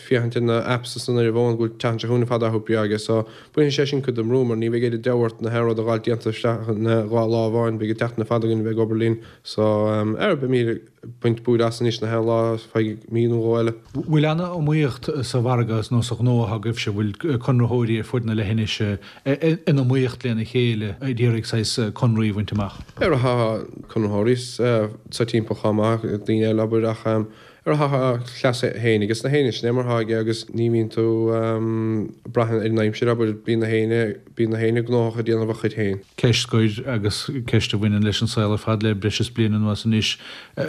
féachaint ar na apps is an ar an bhfón go bhfuil an tseachtain seo chugainn ar fad athrú breá aige so bainfidh sé sin cuid den mbrú mar ní bheidh oiread deabhadh ort na haon rud a dh'fháilt déanta isteach ina dhá lá amháin beidh an tseachtain ar fad againn a bheith ag obair linn so ar beimid ag baint búir as anois na haon lá feadh mí nó dhó eile. Bhfuil an-iomaíocht sa mhargadh nó sa ghnó atá agaibhse, bhfuil conraitheoirí ar fud na leithinise in iomaíocht lena chéile ag iarraidh saghas conraí a bhaint amach? Ar tá conraitheoirí sa timpeall chomh maith, daoine eile abair ach Ar tá a chleas féin ages na héinne, sin é mar thá aige agus ní bhíonn tú ag brath ar an aimsir, abair, bíonn na héinne, bíonn na héinne gnóthach ag déanamh a chuid féin. Ceist scoir agus ceist a bhaineann leis an saol ar fad le breis is bliain anuas anois,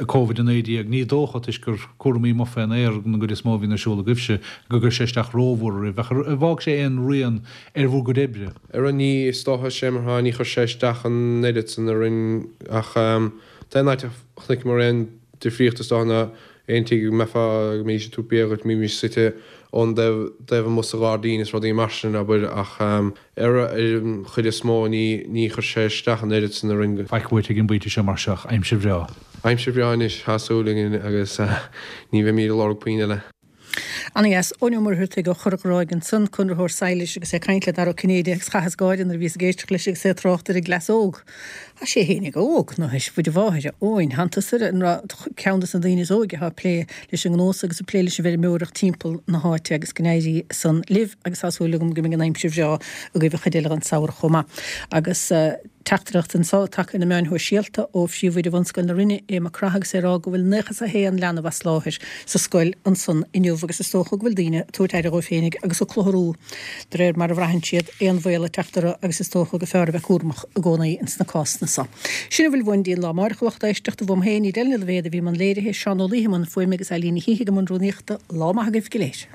Covid-19. Ní dócha, toisc gur cúraimí amuigh fén aer den gcuid is mó a bhíonn ar siúl agaibhse, gur chuir sé isteach rómhór oraibh. Ach ar fhág sé aon rian ar bhur gcuid oibre? Ar ní, is dócha, sé mar thá, ní chuir sé isteach an oiread san orainn ach tá aon áit a chonaiceamar aon difríocht is dócha ná aon tigh go mbeifeá, go mbeidís ag tabhairt bia dhuit, mbímís suite ón dtaobh, taobh amuigh sa ghairdín is rudaí mar sin, abair, ach ar an chuid is mó ní, ní chuir sé isteach an oiread san orainn. Faic uait ag an bpointe seo mar seo ach aimsir bhreá. Aimsir bhreá anois, tá súil againn agus ní bheimíd ag lorg puinn eile. Ana-dheas. Eoin Ó Muircheartaigh ó Chora Ghráig ansan, conraitheoir sadhlais agus é ag caint le Dara Ó Cinnéide agus chaitheas gáire nuair a bhíos ag éisteacht leis agus é ag trácht ar an gcleas óg. Tá sé fhéinig óg, nó théis Mhuire Mháthair, a Eoin. Thánn tusa ar cheann dos na daoine is óige atá ag plé leis an ngnó so agus ag plé leis an bhfeirmeoireacht timpeall na háite agus go n-éirí san libh agus tá súil agam go mbeidh an aimsir bhreá agaibh an chuid eile den samhradh chomh maith. Agus. Teachtaireacht anseo tagtha ar na meáin shóisialta ó Phríomhoide Bhunscoil na Rinne, Aodh Mac Craith agus é ag rá go bhfuil 91 leanbh as láthair sa scoil ansan inniu agus is dócha go bhfuil daoine ag tabhairt aire dhóibh féinig agus ag clutharú de réir mar a bhraitheann siad aon bhaol ag teacht orthu agus is dócha gur fearr a bheith cúramach i gcónaí ins na cásanna so. Sin a bhfuil uainn go dtí an lá amáireach a lucht éisteachta, uaim féin, Edel Ní Loibhéad a bhí i mbun léirithe, Seán Ó Laoithe i mbun fuaime agus Eileen Ní Shíthigh i mbun rúnaíochta. Lá maith agaibh go léir.